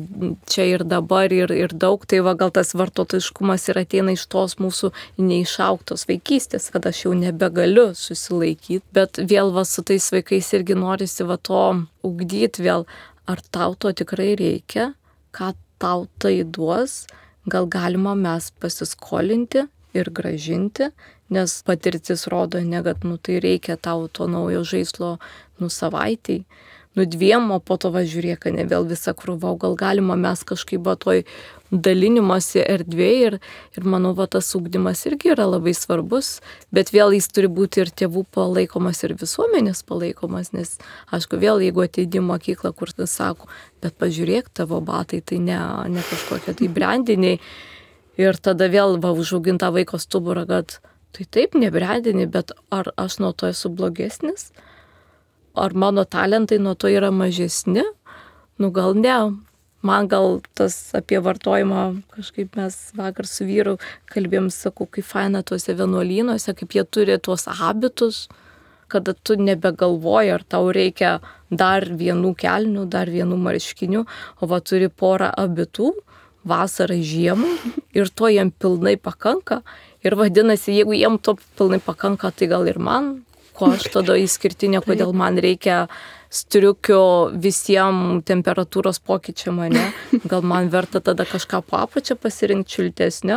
čia ir dabar ir, ir daug, tai va gal tas vartotojiškumas ir ateina iš tos mūsų neišaugtos vaikystės, kad aš jau nebegaliu susilaikyti, bet vėl va su tais vaikais irgi norisi va to ugdyti vėl. Ar tau to tikrai reikia, ką tau tai duos, gal galima mes pasiskolinti ir gražinti, nes patirtis rodo, ne, kad nu, tai reikia tau to naujo žaislo nu, savaitėj, nu dviem, o po to važiuok, ne vėl visą krūvą, gal galima mes kažkaip va toj dalinimasi erdvėje ir, ir manau, va tas ugdymas irgi yra labai svarbus, bet vėl jis turi būti ir tėvų palaikomas, ir visuomenės palaikomas, nes, aišku, vėl jeigu ateidi į mokyklą, kur tai sako, bet pažiūrėk, tavo batai, tai ne, ne kažkokie tai brandiniai, ir tada vėl va užauginta vaiko stuburą, kad tai taip, ne brandiniai, bet ar aš nuo to esu blogesnis? Ar mano talentai nuo to yra mažesni? Nu gal ne. Man gal tas apie vartojimą, kažkaip mes vakar su vyru kalbėjom, sakau, kaip faina tuose vienuolynuose, kaip jie turi tuos habitus, kada tu nebegalvoji, ar tau reikia dar vienų kelnių, dar vienų marškinių, o va turi porą abitų, vasarą žiemą, ir to jiem pilnai pakanka. Ir vadinasi, jeigu jiem to pilnai pakanka, tai gal ir man, ko aš tada išskirtinė, kodėl man reikia striukio visiems temperatūros pokyčiam, ne? Gal man verta tada kažką po apačią pasirinkti šiltesnio,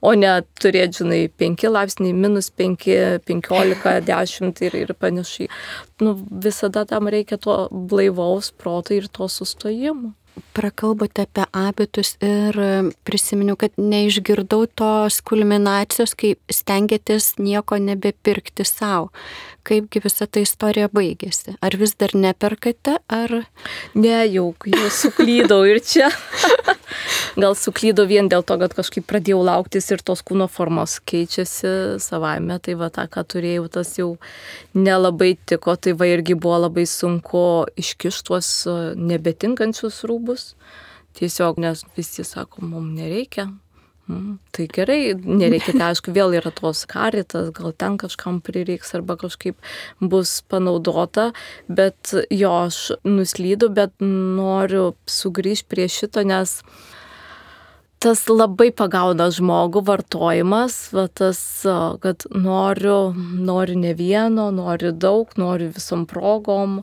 o ne turėti, žinai, penki laipsniai, minus penki, penkiolika, dešimt ir, ir panašiai. Nu, visada tam reikia to blaivaus proto ir to sustojimo.
Prakalbote apie abitus ir prisiminiau, kad neišgirdau tos kulminacijos, kai stengiatės nieko nebepirkti savo. Kaipgi visa ta istorija baigėsi? Ar vis dar neperkate, ar...
Ne, jau, jau suklydau ir čia. Gal suklydau vien dėl to, kad kažkaip pradėjau lauktis ir tos kūno formos keičiasi savaime, tai va tą, ką turėjau, tas jau nelabai tiko, tai va irgi buvo labai sunku iškišti tuos nebetinkančius rūbus. Tiesiog, nes visi sako, mums nereikia. Mm, tai gerai, nereikia, tai aišku, vėl yra tos karitas, gal ten kažkam prireiks arba kažkaip bus panaudota, bet jo, aš nuslydau, bet noriu sugrįžti prie šito, nes tas labai pagauna žmogų vartojimas, va tas, kad noriu, noriu ne vieno, noriu daug, noriu visom progom,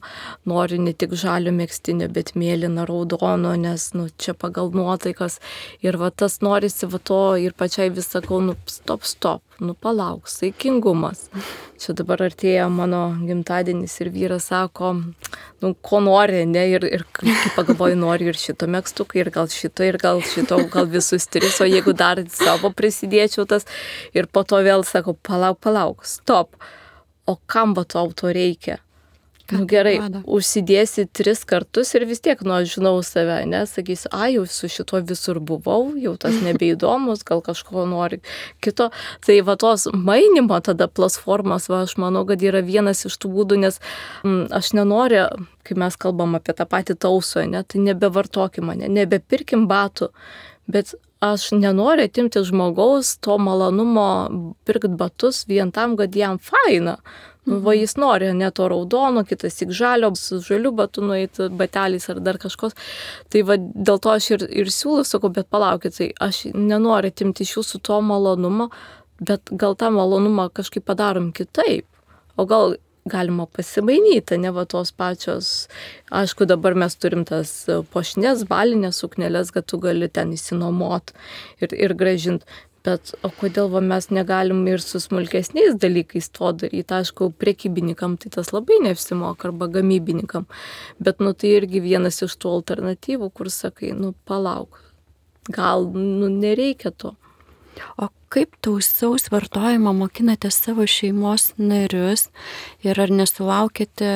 noriu ne tik žalio megztinio, bet mėlyno, raudono, nes nu, čia pagal nuotaikas. Ir va tas norisi va to ir pačiai vis sakau, nu stop, stop, nu palauk, saikingumas. Čia dabar artėja mano gimtadienis ir vyras sako, nu ko nori, ne, ir, ir kai pagalvoju, nori ir šito megztuką, ir gal šito, ir gal šito, gal visus tris, o jeigu dar savo prisidėčiau tas, ir po to vėl sako, palauk, palauk, stop, o kam va tau to reikia? Nu gerai, užsidėsi tris kartus ir vis tiek, nu aš žinau save, ne, sakysi, a, jau su šito visur buvau, jau tas nebeįdomus, gal kažko nori kito. Tai va tos mainimo tada platformos, va, aš manau, kad yra vienas iš tų būdų, nes m, aš nenoriu, kai mes kalbam apie tą patį tausą, ne, tai nebevartokim mane, nebepirkim batų, bet aš nenoriu atimti žmogaus to malonumo pirkti batus vien tam, kad jam faina. Nu, va jis nori, ne to raudono, kitas tik žalio, su žaliu batu nueiti, bateliais ar dar kažkos. Tai va dėl to aš ir, ir siūlau, sakau, bet palaukit, tai aš nenoriu atimti iš jūsų to malonumo, bet gal tą malonumą kažkaip padarom kitaip. O gal galima pasimainyti, ne va tos pačios. Aišku, dabar mes turim tas puošnes, balinės sukneles, kad tu gali ten įsinuomot ir, ir gražinti. Bet o kodėl va, mes negalim ir su smulkesniais dalykais to daryti? Aišku, prekybininkam tai tas labai neapsimoka arba gamybininkam. Bet nu, tai irgi vienas iš tų alternatyvų, kur sakai, nu palauk, gal nu, nereikia to.
O kaip tausaus vartojimo mokinate savo šeimos narius ir ar nesulaukėte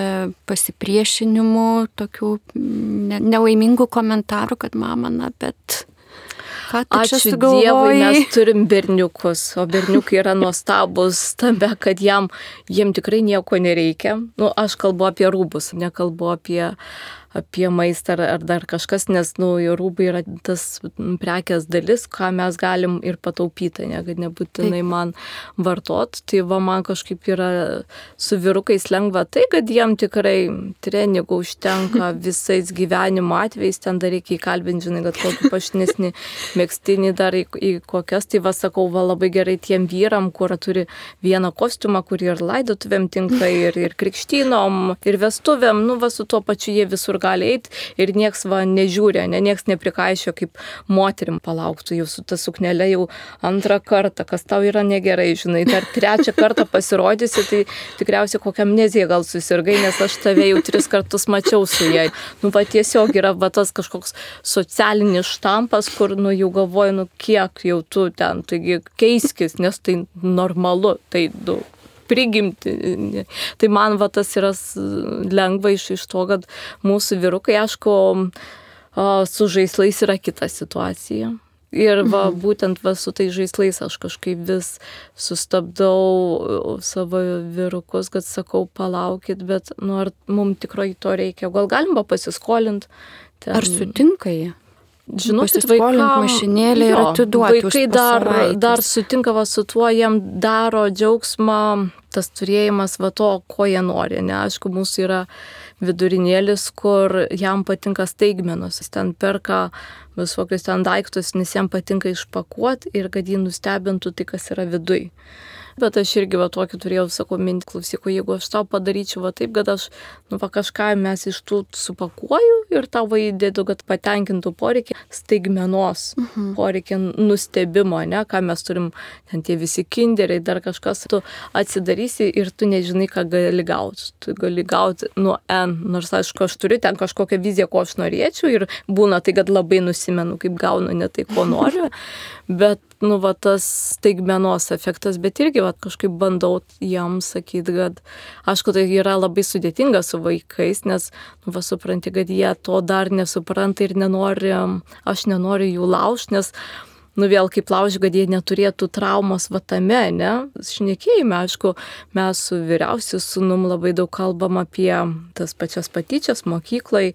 pasipriešinimų, tokių ne, nelaimingų komentarų, kad mama, na, bet...
Ačiū Dievui, mes turim berniukus, o berniukai yra nuostabus tame, kad jam, jiem tikrai nieko nereikia. Nu, aš kalbu apie rūbus, nekalbu apie, apie maistą ar, ar dar kažkas, nes nu, rūbai yra tas prekės dalis, ką mes galim ir pataupyti, ne, kad nebūtinai Taip. Man vartot. Tai va, man kažkaip yra su vyrukais lengva tai, kad jiem tikrai treningų užtenka visais gyvenimo atvejais, ten dar reikia įkalbinti, žinai, kad kokį pašnesnį megztinį dar į, į kokias, tai va sakau, va labai gerai tiem vyram, kur turi vieną kostiumą, kurį ir laidotuvėm tinka, ir, ir krikštynom, ir vestuvėm, nu va su tuo pačiu jie visur gali eiti ir nieks va nežiūrė, ne, nieks neprikaišio, kaip moterim palauktų jau su ta suknelė jau antrą kartą, kas tau yra negerai, žinai, dar trečią kartą pasirodysi, tai tikriausiai kokią amneziją gal susirgai, nes aš tave jau tris kartus mačiau su jai. Nu va tiesiog yra va tas kažkoks socialinis štampas, kur nu jau galvoju, nu kiek jau tu ten, taigi keiskis, nes tai normalu, tai du. Prigimti. Tai man va tas yra lengva iš, iš to, kad mūsų vyrukai, aišku, su žaislais yra kita situacija. Ir va, mhm. būtent va, su tai žaislais aš kažkaip vis sustabdau savo vyrukus, kad sakau, palaukit, bet nu, ar mums tikrai to reikia? Gal galim va pasiskolinti? Ten...
Ar sutinka jie?
Žinokit, vaikam,
mašinėlė ir atiduoti
vaikai dar, dar sutinka va, su tuo, jiem daro džiaugsmą tas turėjimas va to, ko jie nori. Ne, aišku, mūsų yra vidurinėlis, kur jam patinka staigmenos. Jis ten perka visokius ten daiktus, nes jam patinka išpakuoti ir kad jį nustebintų tai, kas yra viduj. Bet aš irgi va tokį turėjau, sakau, mintį, klausyk, jeigu aš tau padaryčiau va taip, kad aš nu, va, kažką mes iš tų supakuoju ir tau va įdėdu, kad patenkintų poreikį staigmenos, uh-huh. poreikį nustebimo, ne, ką mes turim, ten tie visi kinderiai, dar kažkas, tu atsidarysi ir tu nežinai, ką gali gauti. Tu gali gauti nuo N, nors aišku, aš turiu ten kažkokią viziją, ko aš norėčiau ir būna tai, kad labai nusimenu, kaip gaunu ne tai, ko noriu, bet nu, va, tas staigmenos efektas, bet irgi va, kažkaip bandau jiems sakyti, kad aišku, tai yra labai sudėtinga su vaikais, nes nu, va, supranti, kad jie to dar nesupranta ir nenori, aš nenoriu jų laužti, nes nu vėl kaip lauži, kad jie neturėtų traumos va tame, ne? Šnekėjime, aišku, mes su vyriausiu sūnum labai daug kalbam apie tas pačias patyčias mokyklai.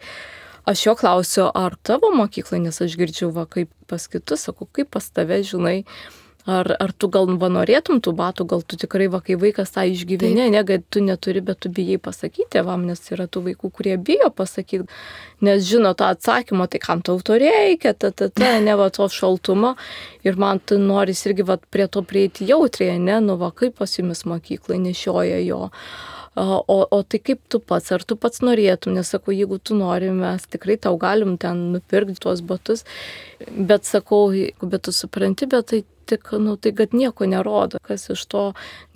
Aš jo klausiu, ar tavo mokyklai, nes aš girdžiu, va, kaip pas kitus, sakau, kaip pas tave, žinai, Ar, ar tu gal va norėtum tų batų, gal tu tikrai va, kai vaikas tą išgyvenė, ne, kad tu neturi, bet tu bijai pasakyti tėvam, nes yra tų vaikų, kurie bijo pasakyti, nes žino tą atsakymą, tai kam tau to reikia, ta, ta, ta, ne va to šaltumo. Ir man tu noris irgi va prie to prieiti jautriai, ne, nu va kaip pas jumis mokyklai nešioja jo. O, o tai kaip tu pats, ar tu pats norėtum, nes sakau, jeigu tu nori, mes tikrai tau galim ten nupirkti tuos batus, bet sakau, bet tu supranti, bet tai tik, nu, tai kad nieko nerodo, kas iš to,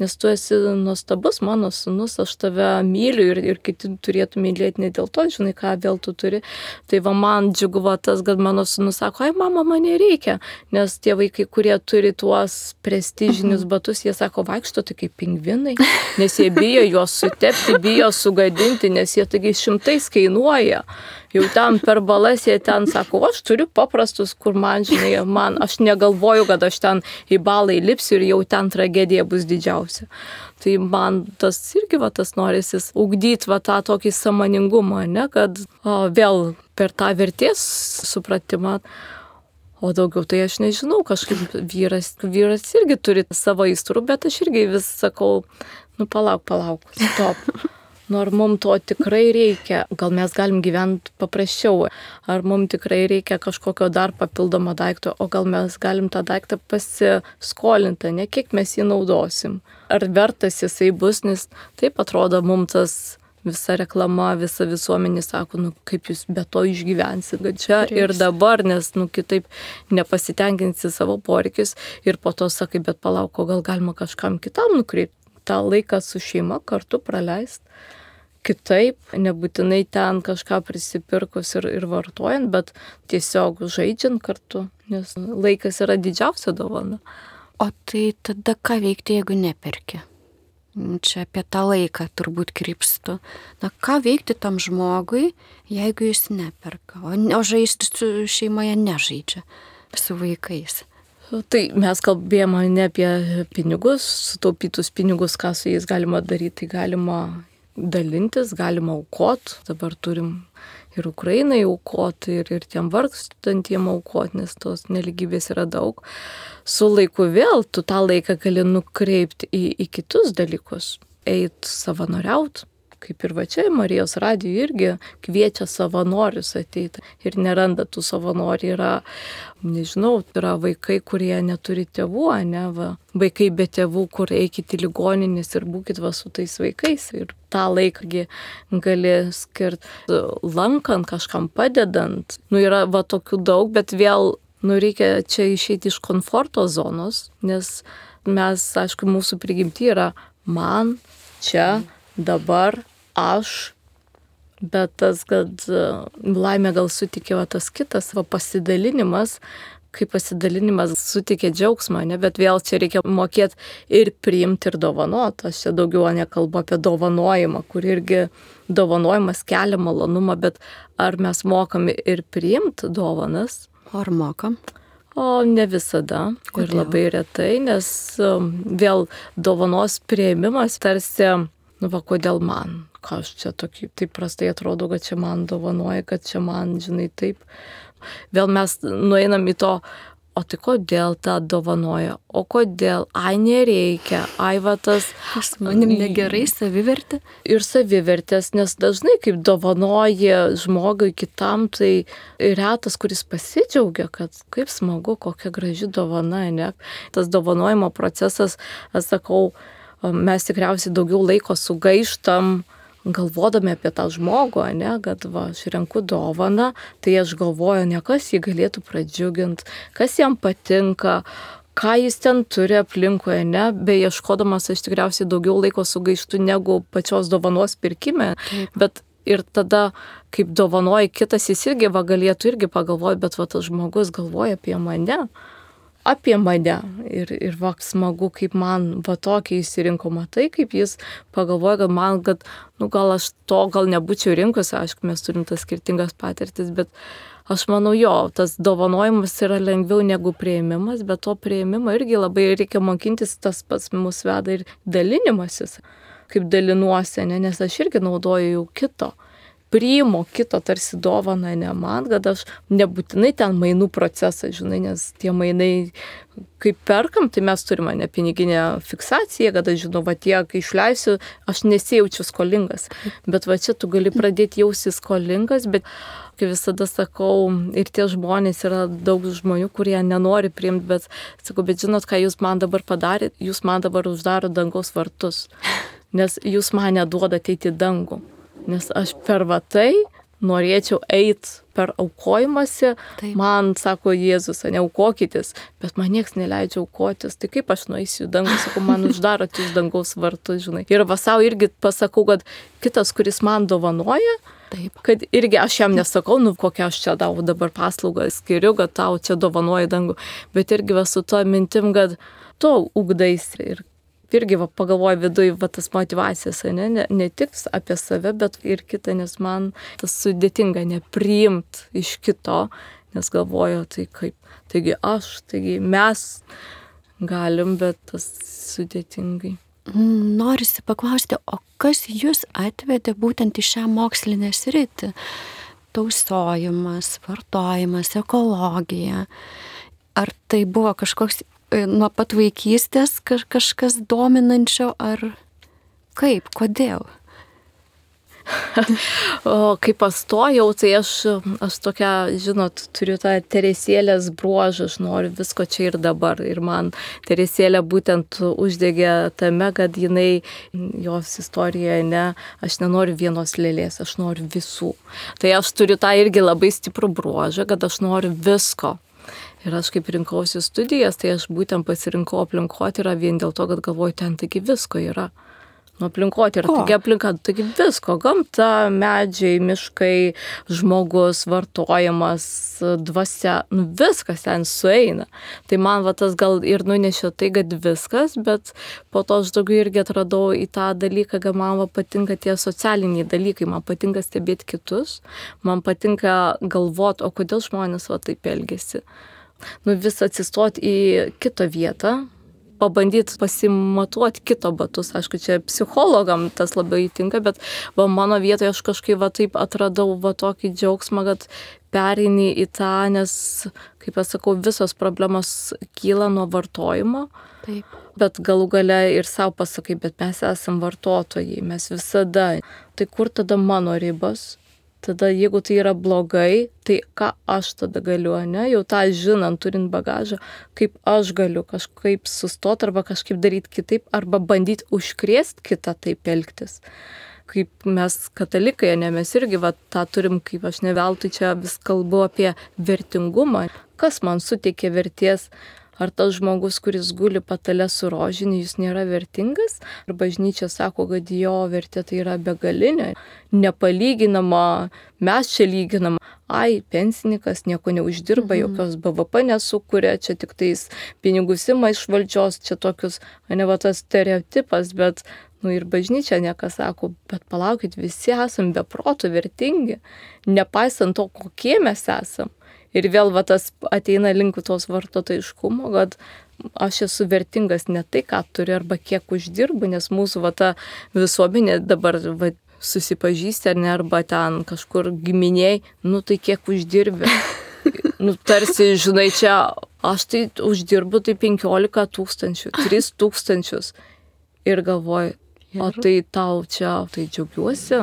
nes tu esi nuostabus mano sūnus, aš tave myliu ir, ir kiti turėtų mylėti ne dėl to, žinai, ką vėl tu turi. Tai va man džiugu va tas, kad mano sūnus sako, ai mama, man nereikia, nes tie vaikai, kurie turi tuos prestižinius batus, jie sako, vaikšto tai kaip pingvinai, nes jie bijo juos sutepti, bijo sugadinti, nes jie taigi šimtais kainuoja. Jau ten per balas jie ten sako, aš turiu paprastus, kur man, žinai, man, aš negalvoju, kad aš ten į balą įlipsiu ir jau ten tragedija bus didžiausia. Tai man tas irgi va tas norisis ugdyti va tą tokį sąmoningumą, ne, kad o, vėl per tą vertės supratimą, o daugiau tai aš nežinau, kažkaip vyras, vyras irgi turi savo aistrų, bet aš irgi vis sakau, nu palauk, palauk, stop. Nu, ar mums to tikrai reikia, gal mes galim gyventi paprasčiau, ar mums tikrai reikia kažkokio dar papildomo daikto, o gal mes galim tą daiktą pasiskolinti, ne kiek mes jį naudosim. Ar vertas jisai bus, nes taip atrodo mums tas visa reklama, visa visuomenė sako, nu kaip jūs be to išgyvensit, kad čia ir dabar, nes nu kitaip nepasitenkinsi savo poreikius ir po to sakai, bet palauk, o gal galima kažkam kitam nukreipti, tą laiką su šeima kartu praleisti. Kitaip, nebūtinai ten kažką prisipirkus ir, ir vartojant, bet tiesiog žaidžiant kartu, nes laikas yra didžiausia dovana.
O tai tada ką veikti, jeigu neperki? Čia apie tą laiką turbūt krypstu. Na, ką veikti tam žmogui, jeigu jis neperka, o, o žaisti su šeimoje nežaidžia su vaikais?
Tai mes kalbėjome ne apie pinigus, sutaupytus pinigus, ką su jais galima daryti, tai galima dalintis, galima aukoti, dabar turim ir Ukrainai aukoti, ir, ir tiem vargstantiem aukoti, nes tos neligybės yra daug. Su laiku vėl tu tą laiką gali nukreipti į, į kitus dalykus, eit savanoriaut. Kaip ir va čia Marijos radijo irgi kviečia savanorius ateiti ir neranda tų savanorių. Yra, nežinau, yra vaikai, kurie neturi tėvų, ne, va. Vaikai be tėvų, kur eikit į ligoninės ir būkit va su tais vaikais. Ir tą laiką gali skirti lankant, kažkam padedant. Nu, yra va tokių daug, bet vėl, nu, reikia čia išeiti iš komforto zonos, nes mes, aišku, mūsų prigimti yra man, čia, dabar, aš, bet tas, kad laimė gal sutikė va, tas kitas, va, pasidalinimas, kai pasidalinimas sutikė džiaugsmą, ne, bet vėl čia reikia mokėti ir priimti, ir dovanoti. Aš čia daugiau nekalbu apie dovanojimą, kur irgi dovanojimas kelia malonumą, bet ar mes mokam ir priimti dovanas?
Ar mokam?
O ne visada. Kodėl? Ir labai retai, nes vėl dovanos priėmimas tarsi, nu va, kodėl man? Ką aš čia tokį, taip prastai atrodo, kad čia man dovanoja, kad čia man, žinai, taip. Vėl mes nueinam į to, o tai kodėl tą dovanoja, o kodėl, ai nereikia, ai va tas.
Aš manim negerai savivertė.
Ir savivertės, nes dažnai kaip dovanoja žmogui kitam, tai retas, kuris pasidžiaugia, kad kaip smagu, kokia graži dovana, ne. Tas dovanojimo procesas, aš sakau, mes tikriausiai daugiau laiko sugaištam, galvodami apie tą žmogų, ne, kad va, aš renku dovaną, tai aš galvoju, ne kas jį galėtų pradžiuginti, kas jam patinka, ką jis ten turi aplinkoje, ne, beieškodamas aš tikriausiai daugiau laiko sugaištu negu pačios dovanos pirkime, Taip. Bet ir tada, kaip dovanoja kitas, jis irgi va, galėtų irgi pagalvoti, bet va, tas žmogus galvoja apie mane. apie mane ir, ir va, smagu, kaip man va tokį įsirinko, matai, kaip jis pagalvoja, kad man, kad, nu gal aš to gal nebūčiau rinkusi, aišku, mes turim tas skirtingas patirtis, bet aš manau, jo, tas dovanojimas yra lengviau negu priėmimas, bet to priėmimo irgi labai reikia mokintis, tas pats mus veda ir dalinimasis, kaip dalinuosi, ne, nes aš irgi naudoju jau kito. priimu kito tarsi dovaną ne man, kad aš nebūtinai ten mainų procesą, žinai, nes tie mainai, kaip perkam, tai mes turime ne piniginę fiksaciją, kad aš žinau, va tiek išleisiu, aš nesijaučiu skolingas. Bet va čia tu gali pradėti jausti skolingas, bet kaip visada sakau, ir tie žmonės yra daug žmonių, kurie nenori priimti, bet sakau, bet žinot, ką jūs man dabar padarėt, jūs man dabar uždaro dangaus vartus, nes jūs man neduodate eiti į dangų. Nes aš per va tai norėčiau eiti per aukojimąsi, taip. Man sako Jėzus, neaukokitės, bet man nieks neleidžia aukotis, tai kaip aš nueisiu į dangų, sakau, man uždarot jūs dangaus vartus, žinai. Ir va sau irgi pasakau, kad kitas, kuris man dovanoja, taip. Kad irgi aš jam nesakau, nu kokią aš čia tau dabar paslaugą skiriu, kad tau čia dovanoja dangų, bet irgi va su to mintim, kad tu ugdaisi ir irgi va, pagalvoju viduje, va tas motivacijas, ne, ne, ne tik apie save, bet ir kitą, nes man tas sudėtinga nepriimt iš kito, nes galvoju, tai kaip, taigi aš, taigi mes galim, bet tas sudėtingai.
Norisi paklausti, o kas jūs atvedė būtent į šią mokslinę sritį? Tausojimas, vartojimas, ekologija. Ar tai buvo kažkoks nuo pat vaikystės kažkas dominančio, ar kaip, kodėl?
O kai pastojau, tai aš, aš tokia, žinot, turiu tą Teresėlės bruožą, aš noriu visko čia ir dabar. Ir man Teresėlė būtent uždegė tame, kad jinai, jos istorijoje, ne, aš nenoriu vienos lėlės, aš noriu visų. Tai aš turiu tą irgi labai stiprų bruožą, kad aš noriu visko. Ir aš kaip rinkausi studijas, tai aš būtent pasirinkau aplinkotyrą vien dėl to, kad galvoju, ten taigi visko yra. Nu, aplinkotyrą, taigi aplinka, taigi visko, gamta, medžiai, miškai, žmogus, vartojimas, dvasia, nu viskas ten sueina. Tai man va tas gal ir nunešė tai, kad viskas, bet po to aš daugiau irgi atradau į tą dalyką, kad man va patinka tie socialiniai dalykai, man patinka stebėti kitus, man patinka galvoti, o kodėl žmonės va taip elgiasi. Nu, vis atsistoti į kitą vietą, pabandyti pasimatuoti kito batus. Aišku, čia psichologam tas labai tinka, bet va, mano vietoje aš kažkaip va, taip atradau va, tokį džiaugsmą, kad pereini į tą, nes, kaip aš sakau, visos problemos kyla nuo vartojimo. Taip. Bet galų gale ir savo pasakai, bet mes esam vartotojai, mes visada. Tai kur tada mano ribos? Tada jeigu tai yra blogai, tai ką aš tada galiu, ne? Jau tą žinant, turint bagažą, kaip aš galiu kažkaip sustoti arba kažkaip daryti kitaip, arba bandyti užkrėsti kitą taip elgtis. Kaip mes katalikai, ne, mes irgi va, tą turim, kaip aš ne veltui čia vis kalbu apie vertingumą. Kas man suteikia vertės? Ar tas žmogus, kuris guli patale su rožiniu, jis nėra vertingas? Ir bažnyčia sako, kad jo vertė tai yra begalinė, nepalyginama, mes čia lyginam. Ai, pensininkas nieko neuždirba, mhm. jokios B V P nesukuria, čia tik tais pinigus ima iš valdžios, čia tokius, ne va tas stereotipas, bet nu ir bažnyčia niekas sako, bet palaukit, visi esam be proto vertingi, nepaisant to, kokie mes esam. Ir vėl va, tas ateina link tos vartotojiškumo, kad aš esu vertingas ne tai, ką turiu arba kiek uždirbu, nes mūsų va, ta visuomenė dabar va, susipažįsti ar ne, arba ten kažkur giminiai, nu tai kiek uždirbi. Nu tarsi, žinai, čia aš tai uždirbu tai penkiolika tūkstančių, tris tūkstančius. Ir galvoju, o tai tau čia, tai džiaugiuosi.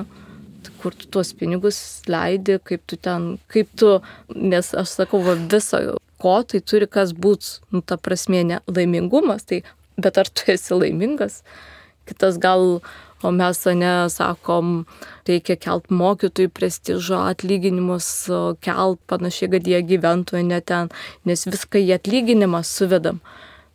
Kur tu tuos pinigus leidi, kaip tu ten, kaip tu, nes aš sakau, va, visą, ko tai turi kas būt, nu, ta prasme, ne laimingumas, tai, bet ar tu esi laimingas? Kitas gal, o mes, ne, sakom, reikia kelt mokytojų prestižo, atlyginimus kelt panašiai, kad jie gyventų ne ten, nes viską į atlyginimą suvedam.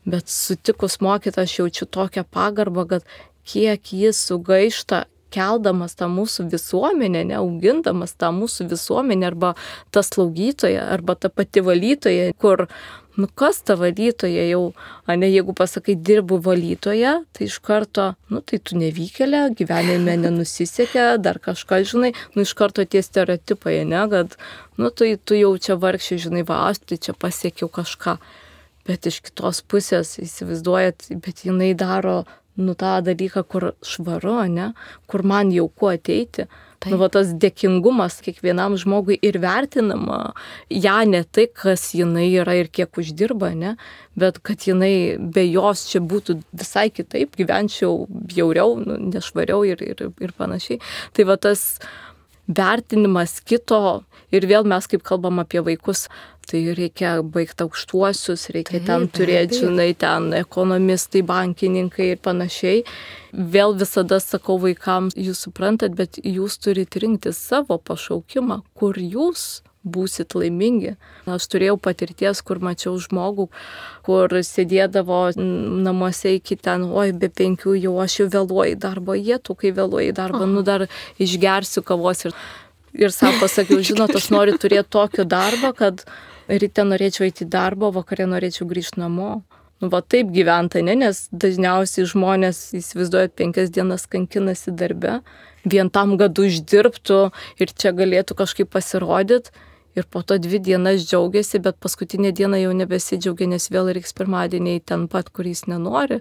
Bet sutikus mokytą aš jaučiu tokią pagarbą, kad kiek jis sugaišta, keldamas tą mūsų visuomenę, neaugindamas tą mūsų visuomenę, arba ta slaugytoja, arba ta pati valytoja, kur, nu kas ta valytoja jau, ne, jeigu pasakai, dirbu valytoja, tai iš karto, nu tai tu nevykėlė, gyvenime nenusisekė, dar kažką, žinai, nu iš karto tie stereotipai, ne, kad, nu tai tu jau čia vargšė, žinai, va, aš tai čia pasiekiau kažką. Bet iš kitos pusės, įsivaizduojat, bet jinai daro nu tą dalyką, kur švaru, ne, kur man jauku ateiti.
Taip.
Nu, va, tas dėkingumas kiekvienam žmogui ir vertinama, ją ne tai, kas jinai yra ir kiek uždirba, ne, bet kad jinai be jos čia būtų visai kitaip, gyvenčiau bjauriau, nu, nešvariau ir, ir, ir panašiai. Tai va tas vertinimas kito ir vėl mes kaip kalbam apie vaikus, tai reikia baigti aukštuosius, reikia taip, ten turėti, žinai, ten ekonomistai, bankininkai ir panašiai. Vėl visada sakau vaikams, jūs suprantat, bet jūs turite rinkti savo pašaukimą, kur jūs būsit laimingi. Aš turėjau patirties, kur mačiau žmogų, kur sėdėdavo namuose iki ten, oi, be penkių jau aš jau vėluoju į darbą, jie tu, kai vėluoju į darbą, nu dar išgersiu kavos ir, ir sau pasakiau, žinot, aš noriu turėti tokį darbą, kad ryte norėčiau eiti į darbą, vakarė norėčiau grįžti namo. Nu, va taip gyventa, ne, nes dažniausiai žmonės įsivaizduoja penkias dienas kankinasi darbe, vien tam, kad uždirbtų ir čia galėtų kažkaip pasirodyti. Ir po to dvi dienas džiaugiasi, bet paskutinė diena jau nebesidžiaugia, nes vėl reiks pirmadieniai ten pat, kur jis nenori.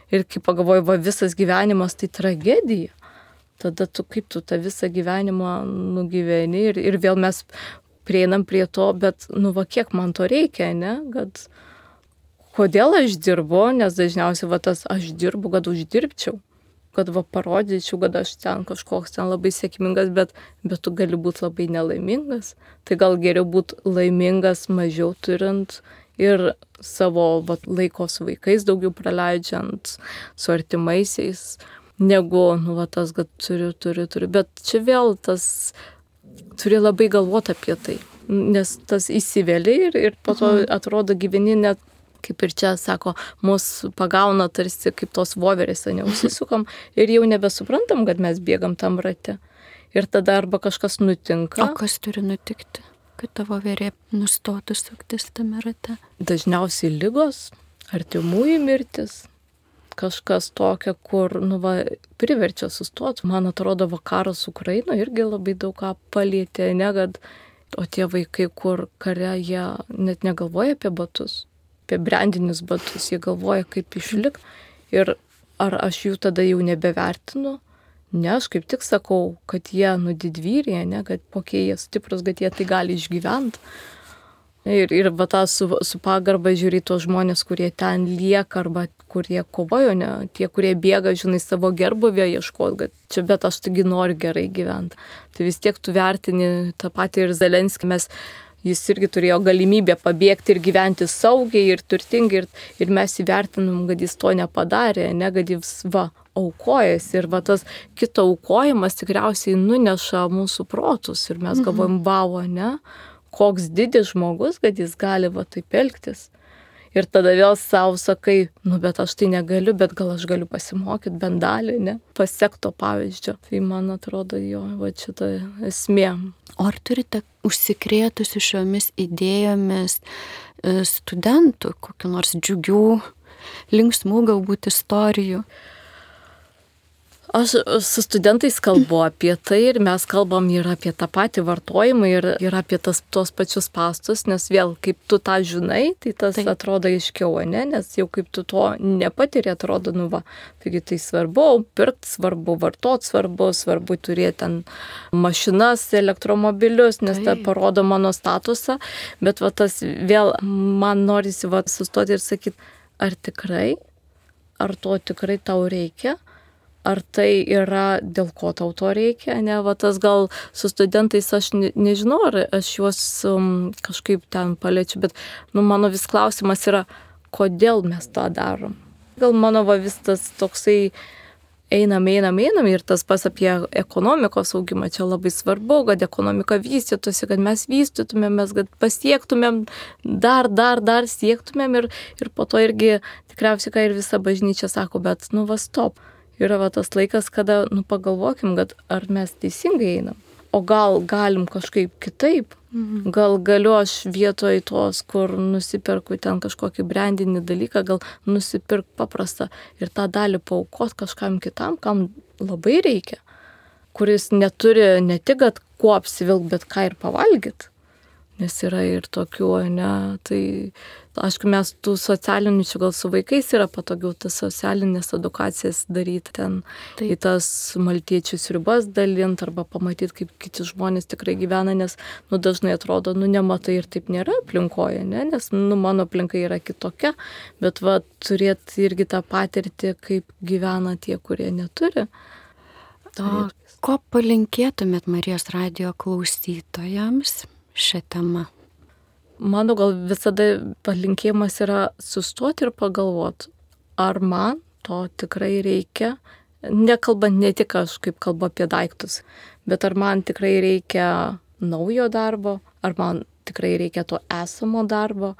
Ir kai pagalvoju, va visas gyvenimas tai tragedija. Tada tu kaip tu tą visą gyvenimą nugyveni ir, ir vėl mes prieinam prie to, bet nu va kiek man to reikia, ne? Kad kodėl aš dirbu, nes dažniausiai va tas aš dirbu, kad uždirbčiau. Kad va parodyčiau, kad aš ten kažkoks ten labai sėkmingas, bet, bet tu gali būti labai nelaimingas. Tai gal geriau būti laimingas mažiau turint ir savo va, laiko su vaikais daugiau praleidžiant, su artimaisiais, negu, nu, va, tas, kad turiu, turiu, turiu. Bet čia vėl tas, turi labai galvoti apie tai, nes tas įsivėlė ir, ir po to atrodo gyveni net, kaip ir čia sako, mus pagauna tarsi kaip tos voverės, neužsisukam ir jau nebesuprantam, kad mes bėgam tam rate. Ir tada arba kažkas nutinka.
O kas turi nutikti, kad tavo voverė nustotų suktis tame rate?
Dažniausiai ligos, artimųjų mirtis, kažkas tokio, kur, nu, va, priverčia sustoti. Man atrodo, vakaras Ukrainoje irgi labai daug ką palietė, ne, kad, o tie vaikai, kur kare, jie net negalvoja apie batus. Apie brandinius batus, jie galvoja, kaip išlik. Ir ar aš jų tada jau nebevertinu? Ne, aš kaip tik sakau, kad jie nu didvyriai, ne, kad kokie jie stiprus, kad jie tai gali išgyventi. Ir, ir va tą su, su pagarba žiūri tos žmonės, kurie ten lieka arba kurie kovojo, ne, tie, kurie bėga, žinai, savo gerbuvio ieškoti, kad čia bet aš taigi noriu gerai gyventi. Tai vis tiek tu vertini tą patį ir Zelenskį, mes jis irgi turėjo galimybę pabėgti ir gyventi saugiai ir turtingai ir, ir mes įvertinam, kad jis to nepadarė, ne, kad jis va aukojasi ir va tas kito aukojimas tikriausiai nuneša mūsų protus ir mes galvojam, vau, ne, koks didis žmogus, kad jis gali va taip elgtis. Ir tada vėl savo sakai, nu bet aš tai negaliu, bet gal aš galiu pasimokyti bent dalį, ne, pasiekti to pavyzdžio. Tai man atrodo, jo, va šita esmė.
O ar turite užsikrėtusi šiomis idėjomis studentų, kokių nors džiugių, linksmų galbūt istorijų?
Aš su studentais kalbu apie tai ir mes kalbam ir apie tą patį vartojimą ir, ir apie tas, tos pačius pastus, nes vėl kaip tu tą žinai, tai tas Taip. Atrodo aiškiau, ne? Nes jau kaip tu to nepatiri, atrodo, nu va, taigi tai svarbu, pirkti svarbu, vartoti svarbu, svarbu turėti ten mašinas, elektromobilius, nes tai parodo mano statusą, bet va tas vėl man norisi va sustoti ir sakyti, ar tikrai, ar to tikrai tau reikia? Ar tai yra, dėl ko tau to reikia, ne, va tas gal su studentais aš ne, nežinau, ar aš juos um, kažkaip ten paliečiu, bet nu, mano vis klausimas yra, kodėl mes tą darom. Gal mano va vis tas toksai einam, einam, einam ir tas pas apie ekonomikos augimą čia labai svarbu, kad ekonomika vystytųsi, kad mes vystytumėmės, kad pasiektumėm, dar, dar, dar siektumėm ir, ir po to irgi tikriausiai, ką ir visa bažnyčia sako, bet nu va stop. Yra va tas laikas, kada, nu, pagalvokim, kad ar mes teisingai einam. O gal galim kažkaip kitaip. Mhm. Gal galiu aš vietoj tos, kur nusipirku ten kažkokį brandinį dalyką, gal nusipirk paprastą ir tą dalį paaukot kažkam kitam, kam labai reikia. Kuris neturi ne tik, kad kuo apsivilk, bet ką ir pavalgyt. Nes yra ir tokių, ne, tai Aišku, mes tų socialinių, čia gal su vaikais yra patogiau tas socialinės edukacijas daryti ten, Taip. Į tas maltiečių sriubas dalinti arba pamatyti, kaip kiti žmonės tikrai gyvena, nes, nu, dažnai atrodo, nu, nematai ir taip nėra aplinkoje, ne? Nes, nu, mano aplinka yra kitokia, bet, va, turėti irgi tą patirtį, kaip gyvena tie, kurie neturi.
O ko palinkėtumėt Marijos radijo klausytojams šią temą?
Mano gal visada palinkėjimas yra sustoti ir pagalvoti, ar man to tikrai reikia, nekalbant ne tik aš, kaip kalbu apie daiktus, bet ar man tikrai reikia naujo darbo, ar man tikrai reikia to esamo darbo,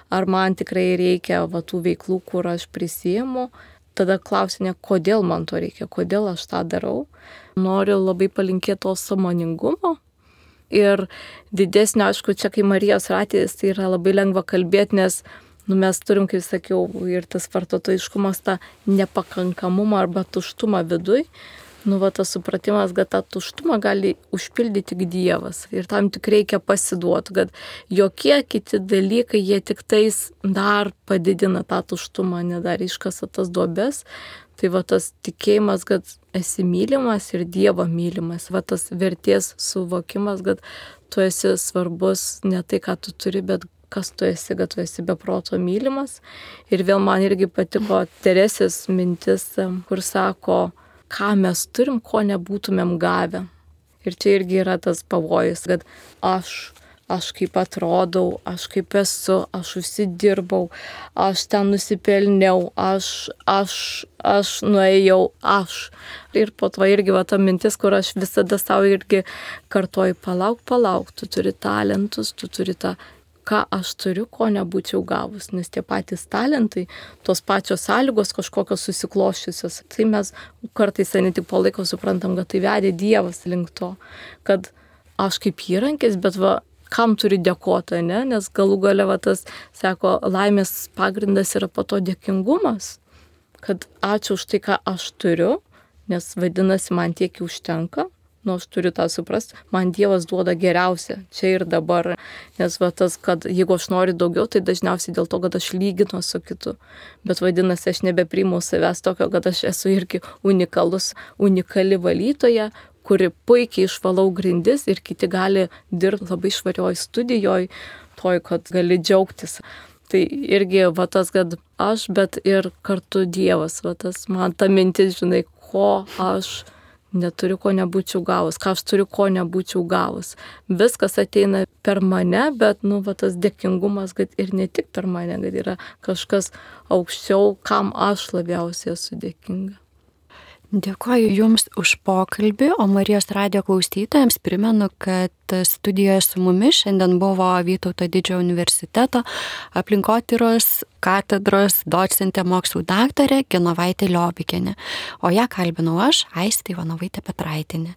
ar man tikrai reikia va, tų veiklų, kur aš prisiimu. Tada klausinė, kodėl man to reikia, kodėl aš tą darau. Noriu labai palinkėti to sąmoningumo. Ir didesnio, aišku, čia kai Marijos radijas, tai yra labai lengva kalbėti, nes nu, mes turim, kaip sakiau, ir tas vartotojiškumas, tą nepakankamumą arba tuštumą viduj. Nu, va, tas supratimas, kad tą tuštumą gali užpildyti tik Dievas. Ir tam tik reikia pasiduoti, kad jokie kiti dalykai, jie tik tais dar padidina tą tuštumą, nedar iškasa tas duobes. Tai va tas tikėjimas, kad esi mylimas ir Dievo mylimas, va tas vertės suvokimas, kad tu esi svarbus ne tai, ką tu turi, bet kas tu esi, kad tu esi be proto mylimas. Ir vėl man irgi patiko Teresės mintis, kur sako, ką mes turim, ko nebūtumėm gavę. Ir čia irgi yra tas pavojus, kad aš aš kaip atrodau, aš kaip esu, aš užsidirbau, aš ten nusipelniau, aš, aš, aš nuėjau, aš. Ir po to irgi va ta mintis, kur aš visada savo irgi kartuoju, palauk, palauk, tu turi talentus, tu turi tą, ką aš turiu, ko nebūčiau gavus, nes tie patys talentai, tos pačios sąlygos kažkokios susikloščiusios, tai mes kartais ne tik po laiko suprantam, kad tai vedė Dievas link to, kad aš kaip įrankis, bet va, kam turi dėkoti, ne? Nes galų gale va tas, sako, laimės pagrindas yra po to dėkingumas, kad ačiū už tai, ką aš turiu, nes vadinasi, man tiek užtenka, nu aš turiu tą suprasti, man Dievas duoda geriausia, čia ir dabar, nes va tas, kad jeigu aš noriu daugiau, tai dažniausiai dėl to, kad aš lyginu su kitu, bet vadinasi, aš nebepriimu savęs tokio, kad aš esu irgi unikalus, unikali valytoja, kuri puikiai išvalau grindis ir kiti gali dirbti labai švarioj studijoj, toj, kad gali džiaugtis. Tai irgi va tas, kad aš, bet ir kartu Dievas, va tas man ta mintis, žinai, ko aš neturiu, ko nebūčiau gavus, ką aš turiu, ko nebūčiau gavus. Viskas ateina per mane, bet, nu, va tas dėkingumas, kad ir ne tik per mane, kad yra kažkas aukščiau, kam aš labiausiai esu dėkinga.
Dėkoju Jums už pokalbį, o Marijos radijo klausytojams primenu, kad studijoje su mumis šiandien buvo Vytauto Didžiojo universiteto aplinkotyros katedros docentė mokslų daktarė Genovaitė Liobikienė, o ją kalbinau aš, Aistė Ivanovaitė Petraitienė.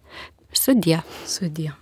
Sudie.
Sudie.